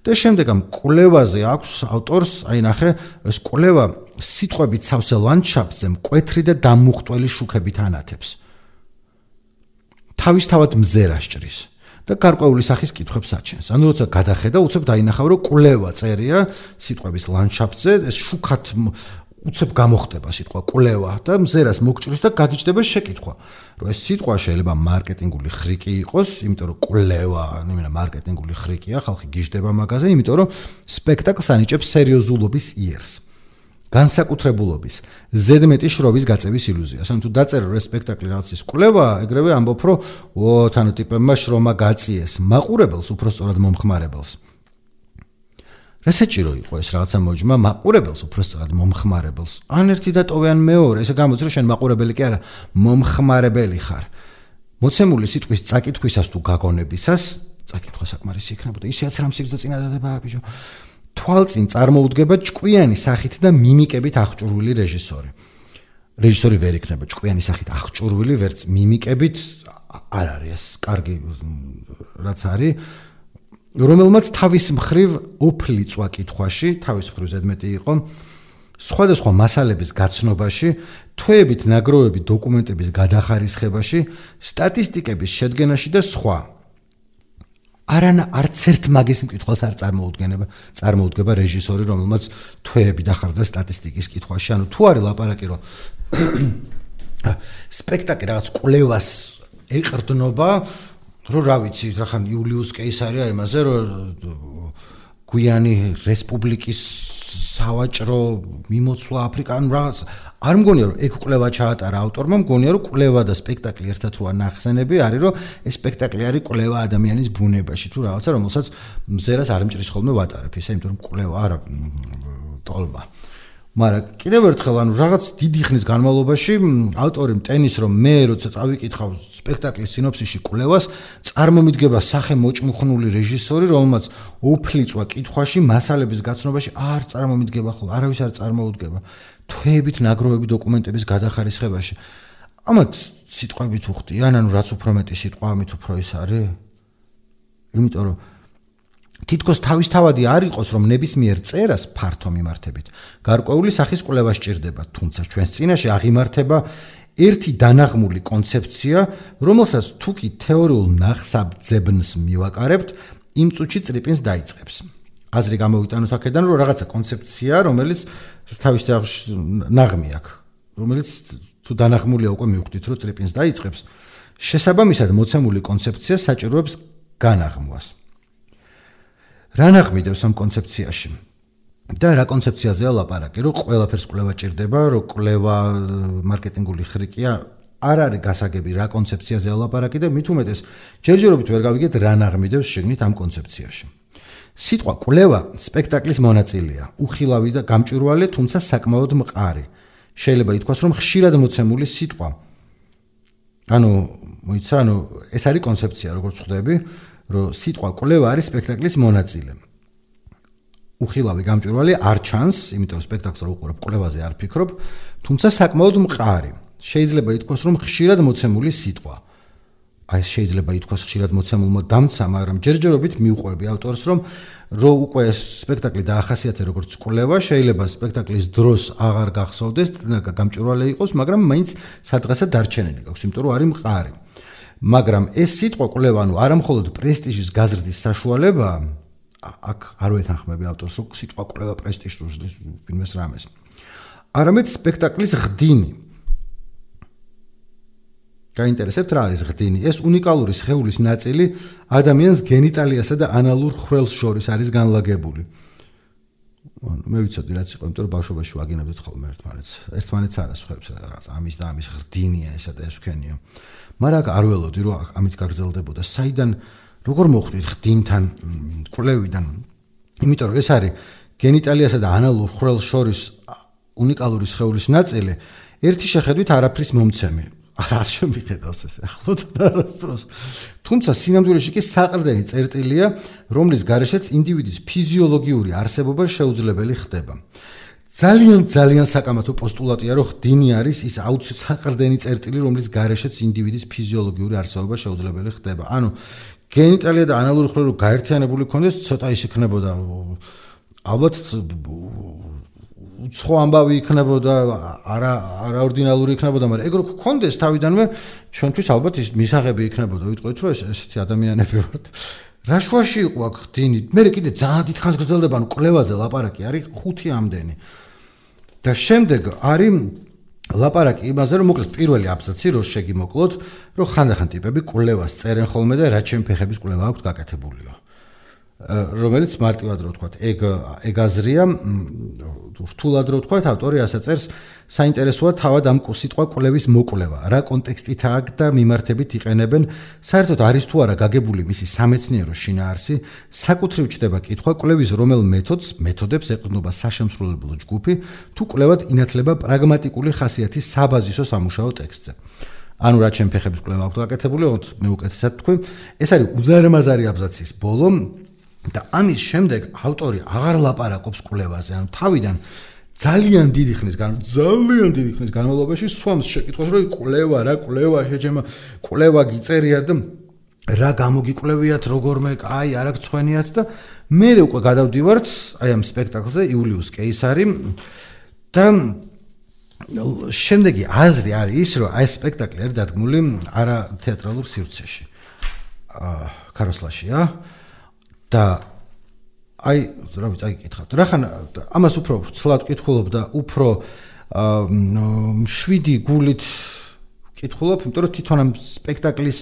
და შემდეგ ამ კვლევაზე აქვს ავტორს, აი ნახე, ეს კვლევა სიტყვებით სავსე ლანდშაფტზე მკვეთრი და დამუხტველი შუქებით ანათებს. თავისთავად მზერას ჭრის. და გარკვეული სახის კითხვებს აჩენს. ანუ როცა გადახედა, უცებ დაინახავ, რომ კვლევა წერია სიტყვების ლანდშაფტზე, ეს შუქად უცებ გამოხდება სიტყვა კვლევა და მზერას მოგჭრის და გაგიჩნდება შეკითხვა, რომ ეს სიტყვა შეიძლება მარკეტინგული ხრიკი იყოს, იმიტომ რომ კვლევა, ნუ მარკეტინგული ხრიკია, ხალხი გიждდება მაგაზე, იმიტომ რომ სპექტაკლს ანიჭებს სერიოზულობის იერს. განსაკუთრებულობის, ზედმეტი შრობის გაწევის ილუზიას. ანუ თუ დაწერე რომ სპექტაკლი რაღაცის კვლევა, ეგრევე ამბობ რომ ო თანო ტიპებმა შრომა გაწიეს, მაყურებელს უпростоრად მომხმარებელს. რასაჭირო იყო ეს რაღაცა მოჯმა მაყურებელს უпростоრად მომხმარებელს. ან ერთი და ტოვე ან მეორე, ესე გამოდის რომ შენ მაყურებელი კი არა, მომხმარებელი ხარ. მოცემული სიტყვის წაკითხვისას თუ გაგონებისას, წაკითხვა საკმარისი იქნებოდა, ისეაც რამ სიგრძე წინადადებაა ბიჭო. თვალწინ წარმოუდგება ჭკვიანი სახით და მიმიკებით აღჭურვილი რეჟისორი. რეჟისორი ვერ იქნება ჭკვიანი სახით აღჭურვილი, ვერც მიმიკებით არ არის ეს კარგი რაც არის, რომელმაც თავის მხრივ ოფლი წვა კითხვაში, თავის მხრივ ზედმეტი იყო, სხვადასხვა მასალების გაცნობაში, თვეებით ნაგროვები დოკუმენტების გადახარისხებაში, სტატისტიკების შედგენაში და სხვა. არანა არც ერთ მაგის მკითხველს არ წარმოუდგენება, წარმოუდგება რეჟისორი, რომელმაც თვეები დახარჯა სტატისტიკის კითხვაში. ანუ თუ არის ლაპარაკი, რომ სპექტაკლი რაღაც კვლევას ეყრდნობა, რომ რა ვიცი, რახან იულიუს კეისარია იმაზე, რომ გვიანი რესპუბლიკის სავაჭრო მიმოცვლა აფრიკან რაღაც არ მგონია რომ ეგ კვლევა ჩაატარა ავტორმა, მგონია რომ კვლევა და სპექტაკლი ერთად რო ანახსენები არის, რომ ეს სპექტაკლი არის კვლევა ადამიანის ბუნებაში თუ რაღაცა, რომელსაც მზერას არ მჭრის ხოლმე ვატარებ ისე, იმიტომ რომ კვლევა არა ტოლმა. მაგრამ კიდევ ერთხელ ანუ რაღაც დიდი ხნის განმავლობაში ავტორი მტენის რომ მე როცა წავიკითხავ სპექტაკლის სინოფსისში კვლევას, წარმომიდგება სახე მოჭმუხნული რეჟისორი, რომელმაც ოფლი წვა კითხვაში, მასალების გაცნობაში არ წარმომიდგება ხოლმე, არავის არ წარმოუდგება. თვეებით ნაგროვები დოკუმენტების გადახარისხებაში. ამათ სიტყვებით უხდიან, ანუ რაც უფრო მეტი სიტყვა, ამით უფრო ის არის. იმიტომ რომ თითქოს თავისთავადი არ იყოს, რომ ნებისმიერ წერას ფართო მიმართებით გარკვეული სახის კვლევა სჭირდება, თუმცა ჩვენს წინაშე აღიმართება ერთი დანაღმული კონცეფცია, რომელსაც თუ კი თეორიულ ნახსაბძებნს მივაკარებთ, იმ წუთში წრიპინს დაიწყებს. აზრი გამოვიტანოთ აქედან, რომ რაღაცა კონცეფცია, რომელიც თავისთავად ნაღმი აქვს, რომელიც თუ დანაღმულია უკვე მივხვდით, რომ წრიპინს დაიწყებს, შესაბამისად მოცემული კონცეფცია საჭიროებს განაღმვას. რა ნაღმიდევს ამ კონცეფციაში? და რა კონცეფციაზეა ლაპარაკი, რომ ყველაფერს კვლევა ჭირდება, რომ კვლევა მარკეტინგული ხრიკია, არ არის გასაგები რა კონცეფციაზეა ლაპარაკი და მით უმეტეს ჯერჯერობით ვერ გავიგეთ რა ნაღმიდევს შეგნით ამ კონცეფციაში. სიტყვა კვლევა სპექტაკლის მონაწილეა, უხილავი და გამჭვირვალე, თუმცა საკმაოდ მყარი. შეიძლება ითქვას, რომ ხშირად მოცემული სიტყვა. ანუ მოიცა, ანუ ეს არის კონცეფცია, როგორც ხვდები, რომ სიტყვა კვლევა არის სპექტაკლის მონაწილე. უხილავი გამჭვირვალე არ ჩანს, იმიტომ რომ სპექტაკლს რო უყურებ, კვლევაზე არ ფიქრობ, თუმცა საკმაოდ მყარი. შეიძლება ითქვას, რომ ხშირად მოცემული სიტყვა. აი შეიძლება ითქვას ხშირად მოცემულმა დამცა, მაგრამ ჯერჯერობით მიუყვები ავტორს, რომ რო უკვე ეს სპექტაკლი დაახასიათე როგორც კვლევა, შეიძლება სპექტაკლის დროს აღარ გახსოვდეს, გამჭვირვალე იყოს, მაგრამ მაინც სადღაცა დარჩენილი გაქვს, იმიტომ რომ არის მყარი. მაგრამ ეს სიტყვა კვლევა, ანუ არა მხოლოდ პრესტიჟის გაზრდის საშუალებაა, აქ არ ვეთანხმები ავტორს, რომ სიტყვა კვლევა პრესტიჟს უშლის ვინმეს რამეს. არამედ სპექტაკლის ღდინი. გაინტერესებთ რა არის ღდინი? ეს უნიკალური სხეულის ნაწილი ადამიანს გენიტალიასა და ანალურ ხვრელს შორის არის განლაგებული. მე ვიცოდი რაც იყო, იმიტომ რომ ბავშვობაში ვაგინებდით ხოლმე ერთმანეთს. ერთმანეთს არა სხვებს რაღაც ამის და ამის ღდინია ესა და ეს ვქენიო. მაგრამ აქ არ ველოდი რომ ამით გაგრძელდებოდა. საიდან როგორ მოხვდით ღდინთან კვლევიდან? იმიტომ რომ ეს არის გენიტალიასა და ანალურ ხვრელს შორის უნიკალური სხეულის ნაწილი, ერთი შეხედვით არაფრის მომცემი. არ შემიხედავს ეს ახლოთ არასდროს. თუმცა სინამდვილეში კი საყრდენი წერტილია, რომლის გარეშეც ინდივიდის ფიზიოლოგიური არსებობა შეუძლებელი ხდება. ძალიან ძალიან საკამათო პოსტულატია, რომ ღდინი არის ის აუცილებლად საყრდენი წერტილი, რომლის გარეშეც ინდივიდის ფიზიოლოგიური არსებობა შეუძლებელი ხდება. ანუ გენიტალია და ანალური ხვრელი რო გაერთიანებული ქონდეს, ცოტა ის იქნებოდა ალბათ უცხო ამბავი იქნებოდა, არა არაორდინალური იქნებოდა, მაგრამ ეგ რო გქონდეს თავიდანვე ჩვენთვის ალბათ ის მისაღები იქნებოდა. ვიტყვით რომ ეს ესეთი ადამიანები ვართ. რა შუაში იყო აქ ღდინი? მე კიდე ძალიან დიდხანს გრძელდება, ანუ კვლევაზე ლაპარაკი არის ხუთი ამდენი. და შემდეგ არის ლაპარაკი იმაზე, რომ მოკლედ პირველი აბზაცი რო შეგიმოკლოთ, რომ ხანდახან ტიპები კვლევას წერენ ხოლმე და რაც ჩემი ფეხების კვლევა აქვს გაკეთებულიო. რომელიც მარტივად რო ვთქვათ, ეგ ეგ აზრია, რთულად რო ვთქვათ, ავტორი ასე წერს, საინტერესოა თავად ამ სიტყვა კვლევის მოკვლევა, რა კონტექსტითაა და მიმართებით იყენებენ, საერთოდ არის თუ არა გაგებული მისი სამეცნიერო შინაარსი, საკუთრივ ჩდება კითხვა კვლევის რომელ მეთოდს, მეთოდებს ეყრდნობა საშემსრულებლო ჯგუფი, თუ კვლევად ინათლება პრაგმატიკული ხასიათის საბაზისო სამუშაო ტექსტზე. ანუ რა ჩემი ფეხების კვლევა აქვს გაკეთებული, მე უკეთესად თქვი, ეს არის უზარმაზარი აბზაცის ბოლო. და ამის შემდეგ ავტორი აღარ ლაპარაკობს კვლევაზე, ანუ თავიდან ძალიან დიდი ხნის გან ძალიან დიდი ხნის განმავლობაში სვამს შეკითხვას, რომ კვლევა რა კვლევა შეჭემა კვლევა გიწერია და რა გამოგიკვლევიათ როგორმე აი არა გცხვენიათ და მე უკვე გადავდივართ აი ამ სპექტაკლზე იულიუს კეისარი და შემდეგი აზრი არის ის, რომ აი სპექტაკლი არის დადგმული არა თეატრალურ სივრცეში. აა ქაროსლაშია. და აი რა ვიცი, აი კითხავთ. რახან ამას უფრო ცლად კითხულობ და უფრო შვიდი გულით კითხულობ, იმიტომ რომ თვითონ ამ სპექტაკლის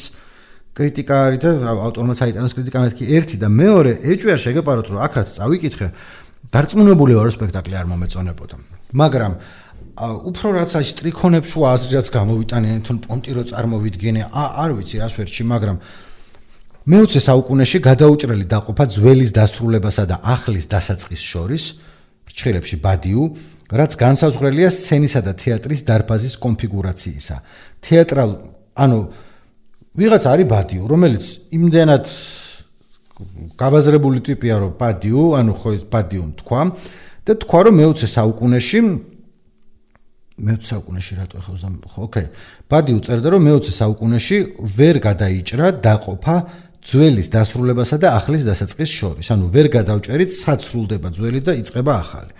კრიტიკა არის და ავტორმა საიტანოს კრიტიკა მეთქი ერთი და მეორე ეჭვია შეგეპაროთ, რომ აქაც წავიკითხე, დარწმუნებული ვარ, რომ სპექტაკლი არ მომეწონებოდა. მაგრამ უფრო რაც აი სტრიქონებს შუა აზრი რაც გამოვიტანიან, თუნ პონტი რო წარმოვიდგენე, არ ვიცი რას ვერჩი, მაგრამ მეოცე საუკუნეში გადაუჭრელი დაყოფა ძველის დასრულებასა და ახლის დასაწყის შორის, ფრჩხილებში ბადიუ, რაც განსაზღვრელია სცენისა და თეატრის დარბაზის კონფიგურაციისა. თეატრალ, ანუ ვიღაც არის ბადიუ, რომელიც იმდენად გაბაზრებული ტიპია, რომ ბადიუ, ანუ ხო ბადიუ თქვა და თქვა, რომ მეოცე საუკუნეში მეოცე საუკუნეში რატო ხო ხო ოკეი ბადიუ წერდა, რომ მეოცე საუკუნეში ვერ გადაიჭრა დაყოფა ძველის დასრულებასა და ახლის დასაწყის შორის. ანუ ვერ გადავჭერით, საცრულდება ძველი და იწყება ახალი.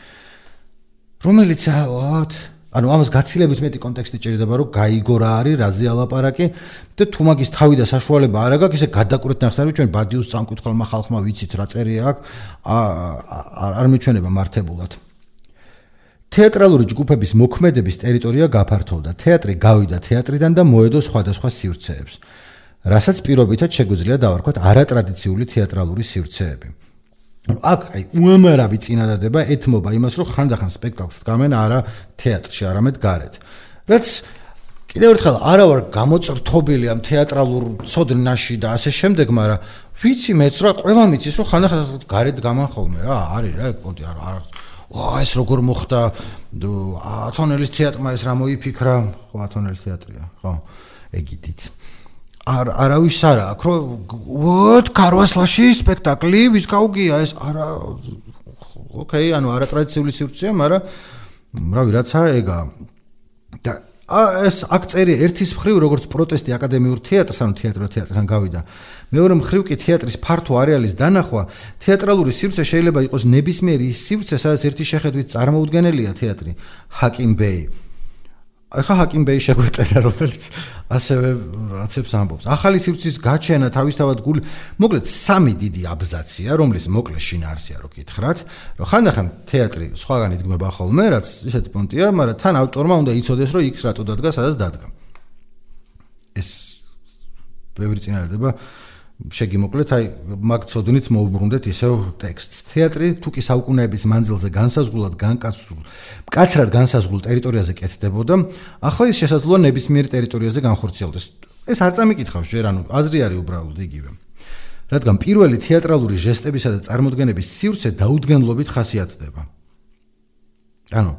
რომელიც ავთ, ანუ ამას გაცილებით მეტი კონტექსტი ჭირდება, რომ გაიგო რა არის, რაზე ალაპარაკი და თუ მაგის თავი და საშუალება არ აქვს, ისე გადაკვრეთ ნახსენები ჩვენ ბადიუს წამკითხველმა ხალხმა ვიცით რა წერია აქ, არ მიჩვენება მართებულად. თეატრალური ჯგუფების მოქმედების ტერიტორია გაფართოვდა. თეატრი გავიდა თეატრიდან და მოედო სხვადასხვა სივრცეებს. რასაც პირობითად შეგვიძლია დავარქვათ არატრადიციული თეატრალური სივრცეები. აქ აი უამრავი წინადადება ეთმობა იმას, რომ ხანდახან სპექტაკლს დგამენ არა თეატრში, არამედ გარეთ. რაც კიდევ ერთხელ არა ვარ გამოწრთობილი ამ თეატრალურ ცოდნაში და ასე შემდეგ, მაგრამ ვიცი მეც რა ყველა მიცის, რომ ხანდახან გარეთ დგამან ხოლმე რა, არის რა, პონტი არა არა ვა ეს როგორ მოხდა ათონელის თეატრმა ეს რა მოიფიქრა, ხო ათონელის თეატრია, ხო ეგიდით. არავის არა აქ რომ ვოთ ქარვასლაში სპექტაკლი ვის გაუგია ეს არა ოკეი ანუ არატრადიციული სივრცეა მაგრამ რავი რაცა ეგა და ეს აქ წერია ერთის მხრივ როგორც პროტესტი აკადემიურ თეატრს ანუ თეატრო თეატრთან გავიდა მეორე მხრივ კი თეატრის ფართო არეალის დანახვა თეატრალური სივრცე შეიძლება იყოს ნებისმიერი ის სივრცე სადაც ერთი შეხედვით წარმოუდგენელია თეატრი ჰაკიმ ბეი ახლა ჰაკიმ ბეი შეგვეწერა რომელიც ასევე რაცებს ამბობს ახალი სივრცის გაჩენა თავისთავად გული მოკლედ სამი დიდი აბზაცია რომლის მოკლე შინაარსია რო გითხრათ რომ ხანდახან თეატრი სხვაგან იდგმება ხოლმე რაც ისეთი პონტია მაგრამ თან ავტორმა უნდა იცოდეს რომ იქ რატო დადგა სადაც დადგა ეს ბევრი წინადადება შეგიმოკლეთ აი მაგ ცოდნით მოუბრუნდეთ ისევ ტექსტს თეატრი თუ კი საუკუნეების მანძილზე განსაზღვრულად განკაცულ მკაცრად განსაზღვრულ ტერიტორიაზე კეთდებოდა ახლა ის შესაძლოა ნებისმიერ ტერიტორიაზე განხორციელდეს ეს არ წამიკითხავს ჯერ ანუ აზრი არის უბრალოდ იგივე რადგან პირველი თეატრალური ჟესტებისა და წარმოდგენების სივრცე დაუდგენლობით ხასიათდება ანუ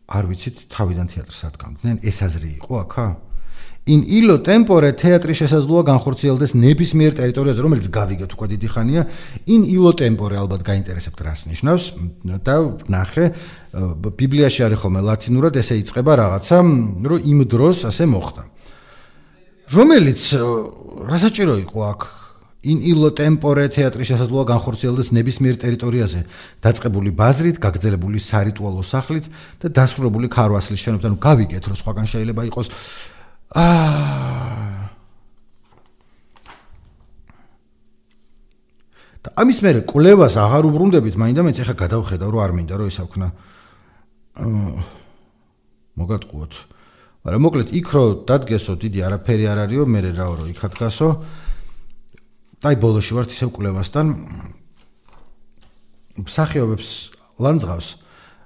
არ ვიცით თავიდან თეატრს ადგამდნენ ეს აზრი იყო აქა in illo tempore თეატრი შესაძლოა განხორციელდეს ნებისმიერ ტერიტორიაზე რომელიც გავიგეთ უკვე დიდი ხანია in illo tempore ალბათ გაინტერესებთ რას ნიშნავს და ნახე ბიბლიაში არის ხოლმე ლათინურად ესე იწყება რაღაცა რომ იმ დროს ასე მოხდა რომელიც რასაჭირო იყო აქ in illo tempore თეატრი შესაძლოა განხორციელდეს ნებისმიერ ტერიტორიაზე დაწყებული ბაზრით გაგრძელებული სარიტუალო სახლით და დასრულებული ქარვასლის შენობებით ანუ გავიგეთ რომ სხვაგან შეიძლება იყოს აა და ამის მერე კვლევას აღარ უბრუნდებით მაინდა მეც ახლა გადავხედავ რომ არ მინდა რომ ისა ვქნა მოგატყუოთ მაგრამ მოკლედ იქ რო დადგესო დიდი არაფერი არ არისო მე რაო რომ იქ ადგასო და აი ბოლოში ვართ ისევ კვლევასთან მსახიობებს ლანძღავს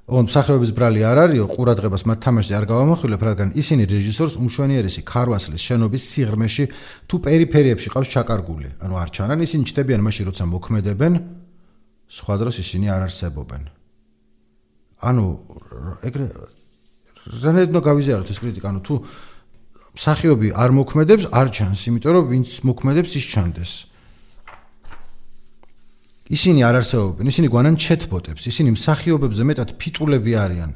on მსახიობის ბრალი არ არისო ყურადღებას მათ თამაშზე არ გავამახვილებ რადგან ისინი რეჟისორს უმშვენიერესი ქარვასლის შენობის სიღრმეში თუ პერიფერიებში ყავს ჩაკარგული ანუ არ ჩანან ისინი ჩდებიან მაშინ როცა მოქმედებენ სხვა დროს ისინი არ არსებობენ ანუ ეგრე რანედნო გავიზიაროთ ეს კრიტიკა ანუ თუ მსახიობი არ მოქმედებს არ ჩანს იმიტომ რომ ვინც მოქმედებს ის ჩანდეს ისინი არ არსებობენ, ისინი გვანან ჩეთბოტებს, ისინი მსახიობებზე მეტად ფიტულები არიან.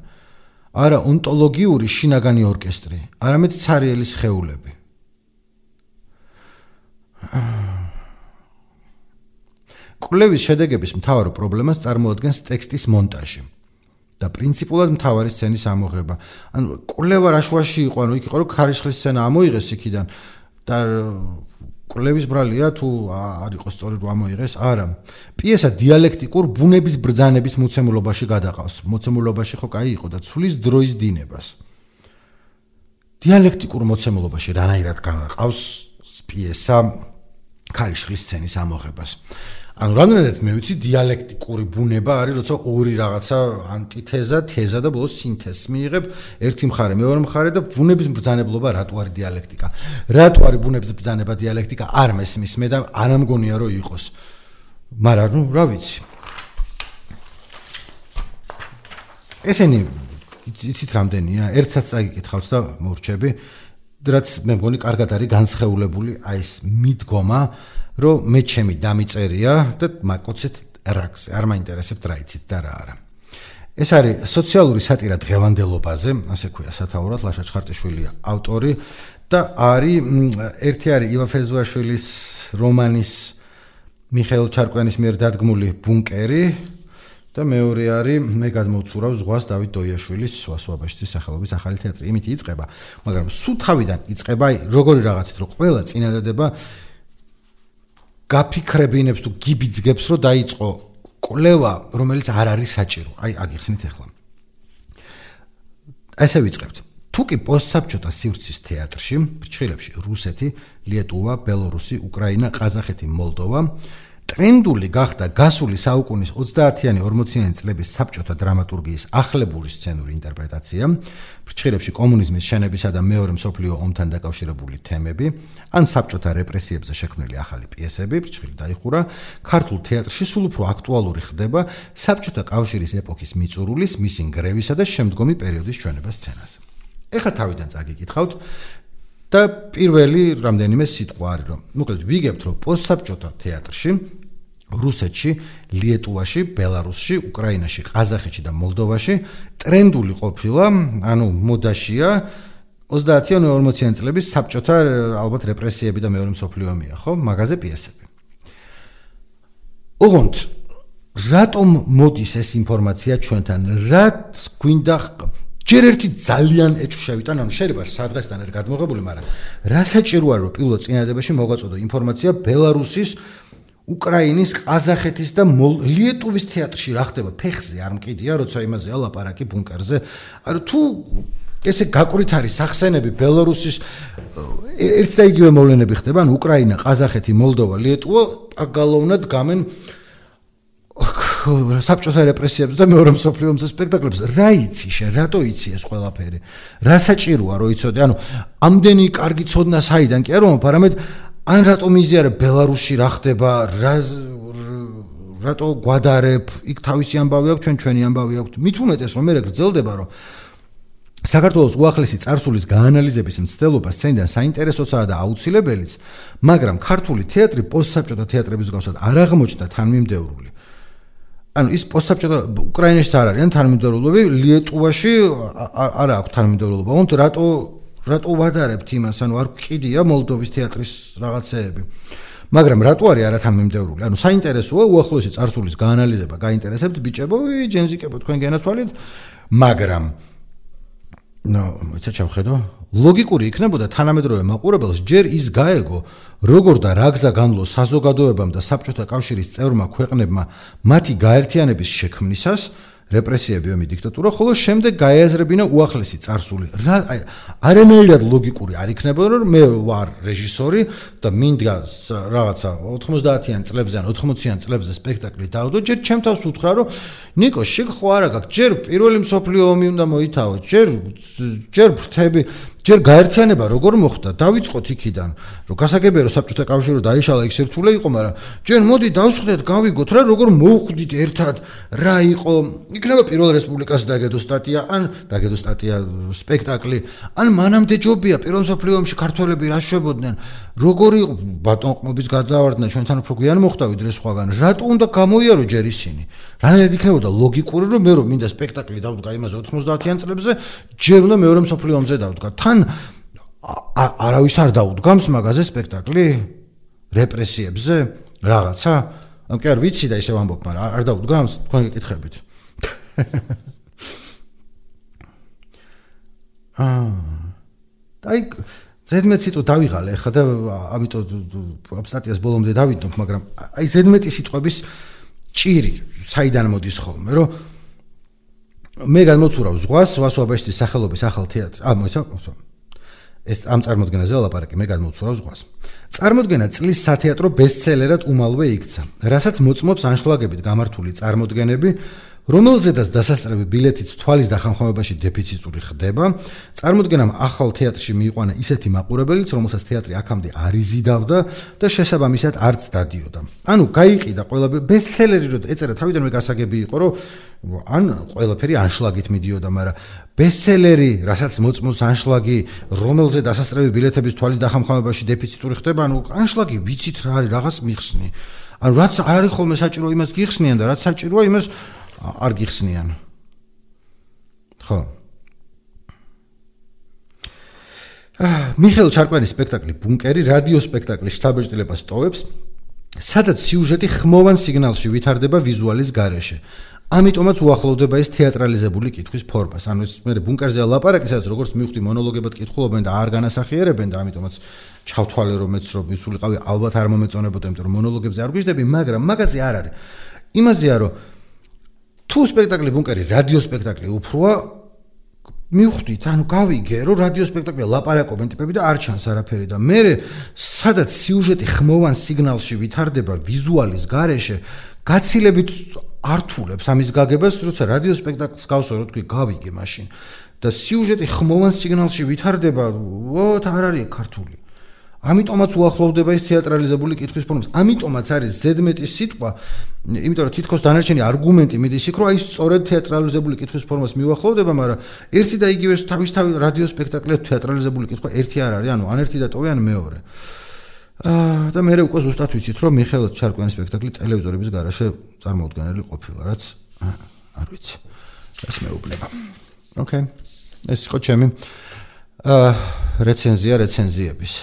არა ონტოლოგიური შინაგანი ორკესტრი, არამედ ცარიელი სხეულები. კვლევის შედეგების მთავარ პრობლემას წარმოადგენს ტექსტის მონტაჟი და პრინციპულად მთავარი სცენის ამოღება. ანუ კვლევა რაშუაში იყო, ანუ იქ იყო რომ ქარიშხლის სცენა ამოიღეს იქიდან და კვლევის ბრალია თუ არ იყოს სწორი რომ ამოიღეს, არა. პიესა დიალექტიკურ ბუნების ბრძანების მოცემულობაში გადაყავს. მოცემულობაში ხო კაი იყო და ცulis დროის დინებას. დიალექტიკურ მოცემულობაში რანაირად განაყავს პიესა ქარიშხლის სცენის ამოღებას. ანუ რამდენადაც მე ვიცი დიალექტიკური ბუნება არის, როცა ორი რაღაცა ანტითეზა, თეზა და ბოლოს სინთეზს მიიღებ, ერთი მხარე, მეორე მხარე და ბუნების ბრძანებლობა რატო არის დიალექტიკა. რატო არის ბუნების ბრძანება დიალექტიკა? არ მესმის მე და არ ამგონია რომ იყოს. მაგრამ ნუ რა ვიცი. ესენი იცით რამდენია? ერთსაც წაგიკითხავთ და მორჩები, რაც მე მგონი კარგად არის განსხეულებული აი ეს მიდგომა რომ მე ჩემი დამიწერია და მაკოცეთ რაკზე არ მაინტერესებთ რა იცით და რა არა. ეს არის სოციალური სატირა დღევანდელობაზე, ასე ქვია სათაურად, ლაშა ჩხარტიშვილია ავტორი და არის ერთი არის ივა ფეზუაშვილის რომანის მიხეილ ჩარკვიანის მიერ დადგმული ბუნკერი და მეორე არის მე გადმოვცურავ ზღვას დავით დოიაშვილის სვასვაბაშის სახელობის ახალი თეატრი. იმით იწყება, მაგრამ სულ თავიდან იწყება როგორი რაღაცით რომ ყველა წინადადება გაფიქრებინებს თუ გიბიძგებს რომ დაიწყო კვლევა რომელიც არ არის საჭირო. აი აგიხსნით ახლა. ესე ვიწყებთ. თუ კი პოსტსაბჭოთა სივრცის თეატრში, ფრჩხილებში რუსეთი, ლიეტუვა, ბელორუსი, უკრაინა, ყაზახეთი, მოლდოვა ტრენდული გახდა გასული საუკუნის ოცდაათიანი ორმოციანი წლების საბჭოთა დრამატურგიის ახლებური სცენური ინტერპრეტაცია, ფრჩხილებში კომუნიზმის შენებისა და მეორე მსოფლიო ომთან დაკავშირებული თემები, ან საბჭოთა რეპრესიებზე შექმნილი ახალი პიესები, ფრჩხილი დაიხურა, ქართულ თეატრში სულ უფრო აქტუალური ხდება საბჭოთა კავშირის ეპოქის მიწურულის, მისი ნგრევისა და შემდგომი პერიოდის ჩვენება სცენაზე. ეხლა თავიდან წაგიკითხავთ, და პირველი რამდენიმე სიტყვა არის რომ მოკლედ ვიგებთ რომ პოსტსაბჭოთა თეატრში რუსეთში, ლიეტუვაში, ბელარუსში, უკრაინაში, ყაზახეთში და მოლდოვაში ტრენდული ყოფილა, ანუ მოდაშია ოცდაათი ან ორმოციანი წლების საბჭოთა ალბათ რეპრესიები და მეორე მსოფლიო ომია, ხო? მაგაზე პიესები. ოღონდ რატომ მოდის ეს ინფორმაცია ჩვენთან? რაც გვინდა ჯერ ერთი ძალიან ეჭვშევით, ანუ შეიძლება სადღესთან არ გადმოღებული, მაგრამ რა საჭიროა რომ პირველ წინადადებაში მოგვაწოდო ინფორმაცია ბელარუსის უკრაინის, ყაზახეთის და ლიეტუვის თეატრში რა ხდება ფეხზე არ მკიდია, როცა იმაზე ალაპარაკი ბუნკერზე. ანუ თუ ესე გაკვირით არის სახსენები ბელარუსის ერთ და იგივე მოვლენები ხდება, ანუ უკრაინა, ყაზახეთი, მოლდოვა, ლიეტუვა აგალოვნად გამენ საბჭოთა რეპრესიებს და მეორე მსოფლიო ომის სპექტაკლებს. რა იცი შენ, რატო იცი ეს ყველაფერი? რა საჭიროა რომ იცოდე? ანუ ამდენი კარგი ცოდნა საიდან კი არ ვამბობ, არამედ ან რატომ იზიარებ ბელარუსში რა ხდება, რა რატო გვადარებ, იქ თავისი ამბავი აქვს, ჩვენ ჩვენი ამბავი აქვს. მით უმეტეს რომ მე გრძელდება რომ საქართველოს უახლესი წარსულის გაანალიზების მცდელობა სცენიდან საინტერესოსაა და აუცილებელიც, მაგრამ ქართული თეატრი პოსტსაბჭოთა თეატრების მსგავსად არ აღმოჩნდა თანმიმდევრული. ანუ ის პოსტსაბჭოთა უკრაინაში არ არიან თანმიმდევრულები, ლიეტუვაში არ აქვს თანმიმდევრულობა. ოღონდ რატო რატო ვადარებთ იმას, ანუ არ გყიდია მოლდოვის თეატრის რაღაცეები. მაგრამ რატო არის არათანმიმდევრული? ანუ საინტერესოა უახლოესი წარსულის გაანალიზება, გაინტერესებთ ბიჭებო, ჯენზიკებო თქვენ განაცვალეთ, მაგრამ ნო, იცით შევხედო, ლოგიკური იქნებოდა თანამედროვე მაყურებელს ჯერ ის გაეგო, როგორ და რა გზა განვლო საზოგადოებამ და საბჭოთა კავშირის წევრმა ქვეყნებმა მათი გაერთიანების შექმნისას, რეპრესიები, ომი, დიქტატურა, ხოლო შემდეგ გაეაზრებინა უახლესი წარსული. რა არანაირად ლოგიკური არ იქნებოდა, რომ მე ვარ რეჟისორი და მინდა რაღაცა ოთხმოცდაათიან წლებზე ან ოთხმოციან წლებზე სპექტაკლი დავდო, ჯერ ჩემ თავს უთხრა, რომ ნიკო, შეგ ხო არა გაქვს, ჯერ პირველი მსოფლიო ომი უნდა მოითავო, ჯერ ჯერ ფრთები, ჯერ გაერთიანება როგორ მოხდა? დავიწყოთ იქიდან, რომ გასაგებია რომ საბჭოთა კავშირი რომ დაიშალა იქ სირთულე იყო, მაგრამ ჯერ მოდი დავსხდეთ, გავიგოთ რა, როგორ მოვხვდით ერთად, რა იყო, იქნება პირველ რესპუბლიკას დაგედო სტატია, ან დაგედო სტატია სპექტაკლი, ან მანამდე ჯობია პირველ მსოფლიო ომში ქართველები რა შვებოდნენ, როგორი ბატონყმობის გადავარდნა ჩვენთან უფრო გვიან მოხდა ვიდრე სხვაგან, რატო უნდა გამოიარო ჯერ ისინი? რანაირად იქნებოდა ლოგიკური, რომ მე რომ მინდა სპექტაკლი დავდგა იმაზე ოთხმოცდაათიან წლებზე, ჯერ უნდა მეორე მსოფლიო ომზე დავდგა. თან არავის არ დაუდგამს მაგაზე სპექტაკლი რეპრესიებზე რაღაცა? ამ კი არ ვიცი და ისე ვამბობ, მაგრამ არ დაუდგამს, თქვენ გეკითხებით. აა აი ზედმეტ სიტყვა დავიღალე ხა და ამიტომ ამ სტატიას ბოლომდე დავიდნობ, მაგრამ აი ზედმეტი სიტყვების ჭირი საიდან მოდის ხოლმე, რომ მე გამოცურავ ზღვას ვასუაბაშის სახელობის ახალ თეატრს. ა მოიცა ეს ამ წარმოდგენაზე ლაპარაკი, მე გამოცურავ ზღვას. წარმოდგენა წლის სათეატრო ბესტსელერად უმალვე იქცა, რასაც მოწმობს ანშლაგებით გამართული წარმოდგენები, რომელზედაც დასასწრები ბილეთით თვალის დახამხამებაში დეფიციტური ხდება. წარმოდგენამ ახალ თეატრში მიიყვანა ისეთი მაყურებელიც, რომელსაც თეატრი აქამდე არ იზიდავდა და შესაბამისად არც დადიოდა. ანუ გაიყიდა ყველაფერი ბესტსელერი, რომ ეწერა თავიდანვე გასაგები იყო, რომ ან ყველაფერი ანშლაგით მიდიოდა, მაგრამ ბესტსელერი, რასაც მოწმობს ანშლაგი, რომელზე დასასწრები ბილეთების თვალის დახამხამებაში დეფიციტური ხდება, ანუ ანშლაგი ვიცით რა არის, რაღაც მიხსნი. ანუ რაც არ არის ხოლმე საჭირო იმას გიხსნიან და რაც საჭიროა იმას არ გიხსნიან. ხო. მიხეილ ჩარკვანის სპექტაკლი ბუნკერი რადიო სპექტაკლის შთაბეჭდილებას ტოვებს, სადაც სიუჟეტი ხმოვან სიგნალში ვითარდება ვიზუალის გარეშე. ამიტომაც უახლოვდება ეს თეატრალიზებული კითხვის ფორმას. ანუ ეს მე ბუნკერზე ლაპარაკი, სადაც როგორც მივხვდი მონოლოგებად კითხულობენ და არ განასახიერებენ და ამიტომაც ჩავთვალე რომ მეც რომ ვისულიყავი, ალბათ არ მომეწონებოდა, იმიტომ რომ მონოლოგებზე არ გვიждები, მაგრამ მაგაზე არ არის. იმაზეა რომ თუ სპექტაკლი ბუნკერი რადიო სპექტაკლი უფროა, მივხვდით, ანუ გავიგე, რომ რადიო სპექტაკლი ლაპარაკობენ ტიპები და არ ჩანს არაფერი და მე სადაც სიუჟეტი ხმოვან სიგნალში ვითარდება ვიზუალის გარეშე, გაცილებით ართულებს ამის გაგებას, როცა რადიო სპექტაკლს გავსო, რო თქვი გავიგე მაშინ და სიუჟეტი ხმოვან სიგნალში ვითარდება, ვოთ არ არის ქართული. ამიტომაც უახლოვდება ის თეატრალიზებული კითხვის ფორმას. ამიტომაც არის ზედმეტი სიტყვა, იმიტომ რომ თითქოს დანარჩენი არგუმენტი მიდის იქ, რომ აი სწორედ თეატრალიზებული კითხვის ფორმას მიუახლოვდება, მაგრამ ერთი და იგივე თავისთავად რადიო სპექტაკლია თეატრალიზებული კითხვა ერთი არ არის, ანუ ან ერთი დატოვე, ან მეორე. აა და მე უკვე ზუსტად ვიცით, რომ მიხეილ ჩარკვიანის სპექტაკლი ტელევიზორების გარაშე წარმოუდგენელი ყოფილა, რაც არ ვიცი. ეს მეუბნება. ოკეი. ეს იყო ჩემი აა რეცენზია რეცენზიების.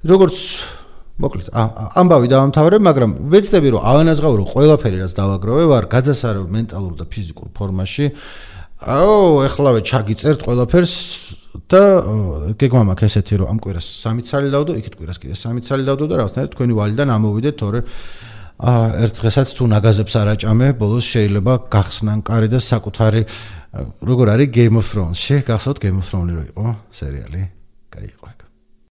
როგორც მოკლედ ამბავი დავამთავრებ, მაგრამ ვეცდები რომ ავანაზღავრო ყველაფერი რაც დავაგროვე ვარ გაძასარავ მენტალურ და ფიზიკურ ფორმაში. აო, ეხლავე ჩაგიწერთ ყველაფერს და გეგმა მაქვს ესეთი რომ ამ კვირას სამი ცალი დავდო, იქით კვირას კიდე სამი ცალი დავდო და რაღაცნაირად თქვენი ვალიდან ამოვიდეთ, თორე აა ერთ დღესაც თუ ნაგაზებს არ აჭამე, ბოლოს შეიძლება გახსნან კარი და საკუთარი როგორ არის Game of Thrones-ში, გახსოვთ Game of Thrones-ი რო იყო სერიალი? კაი იყო ეგ.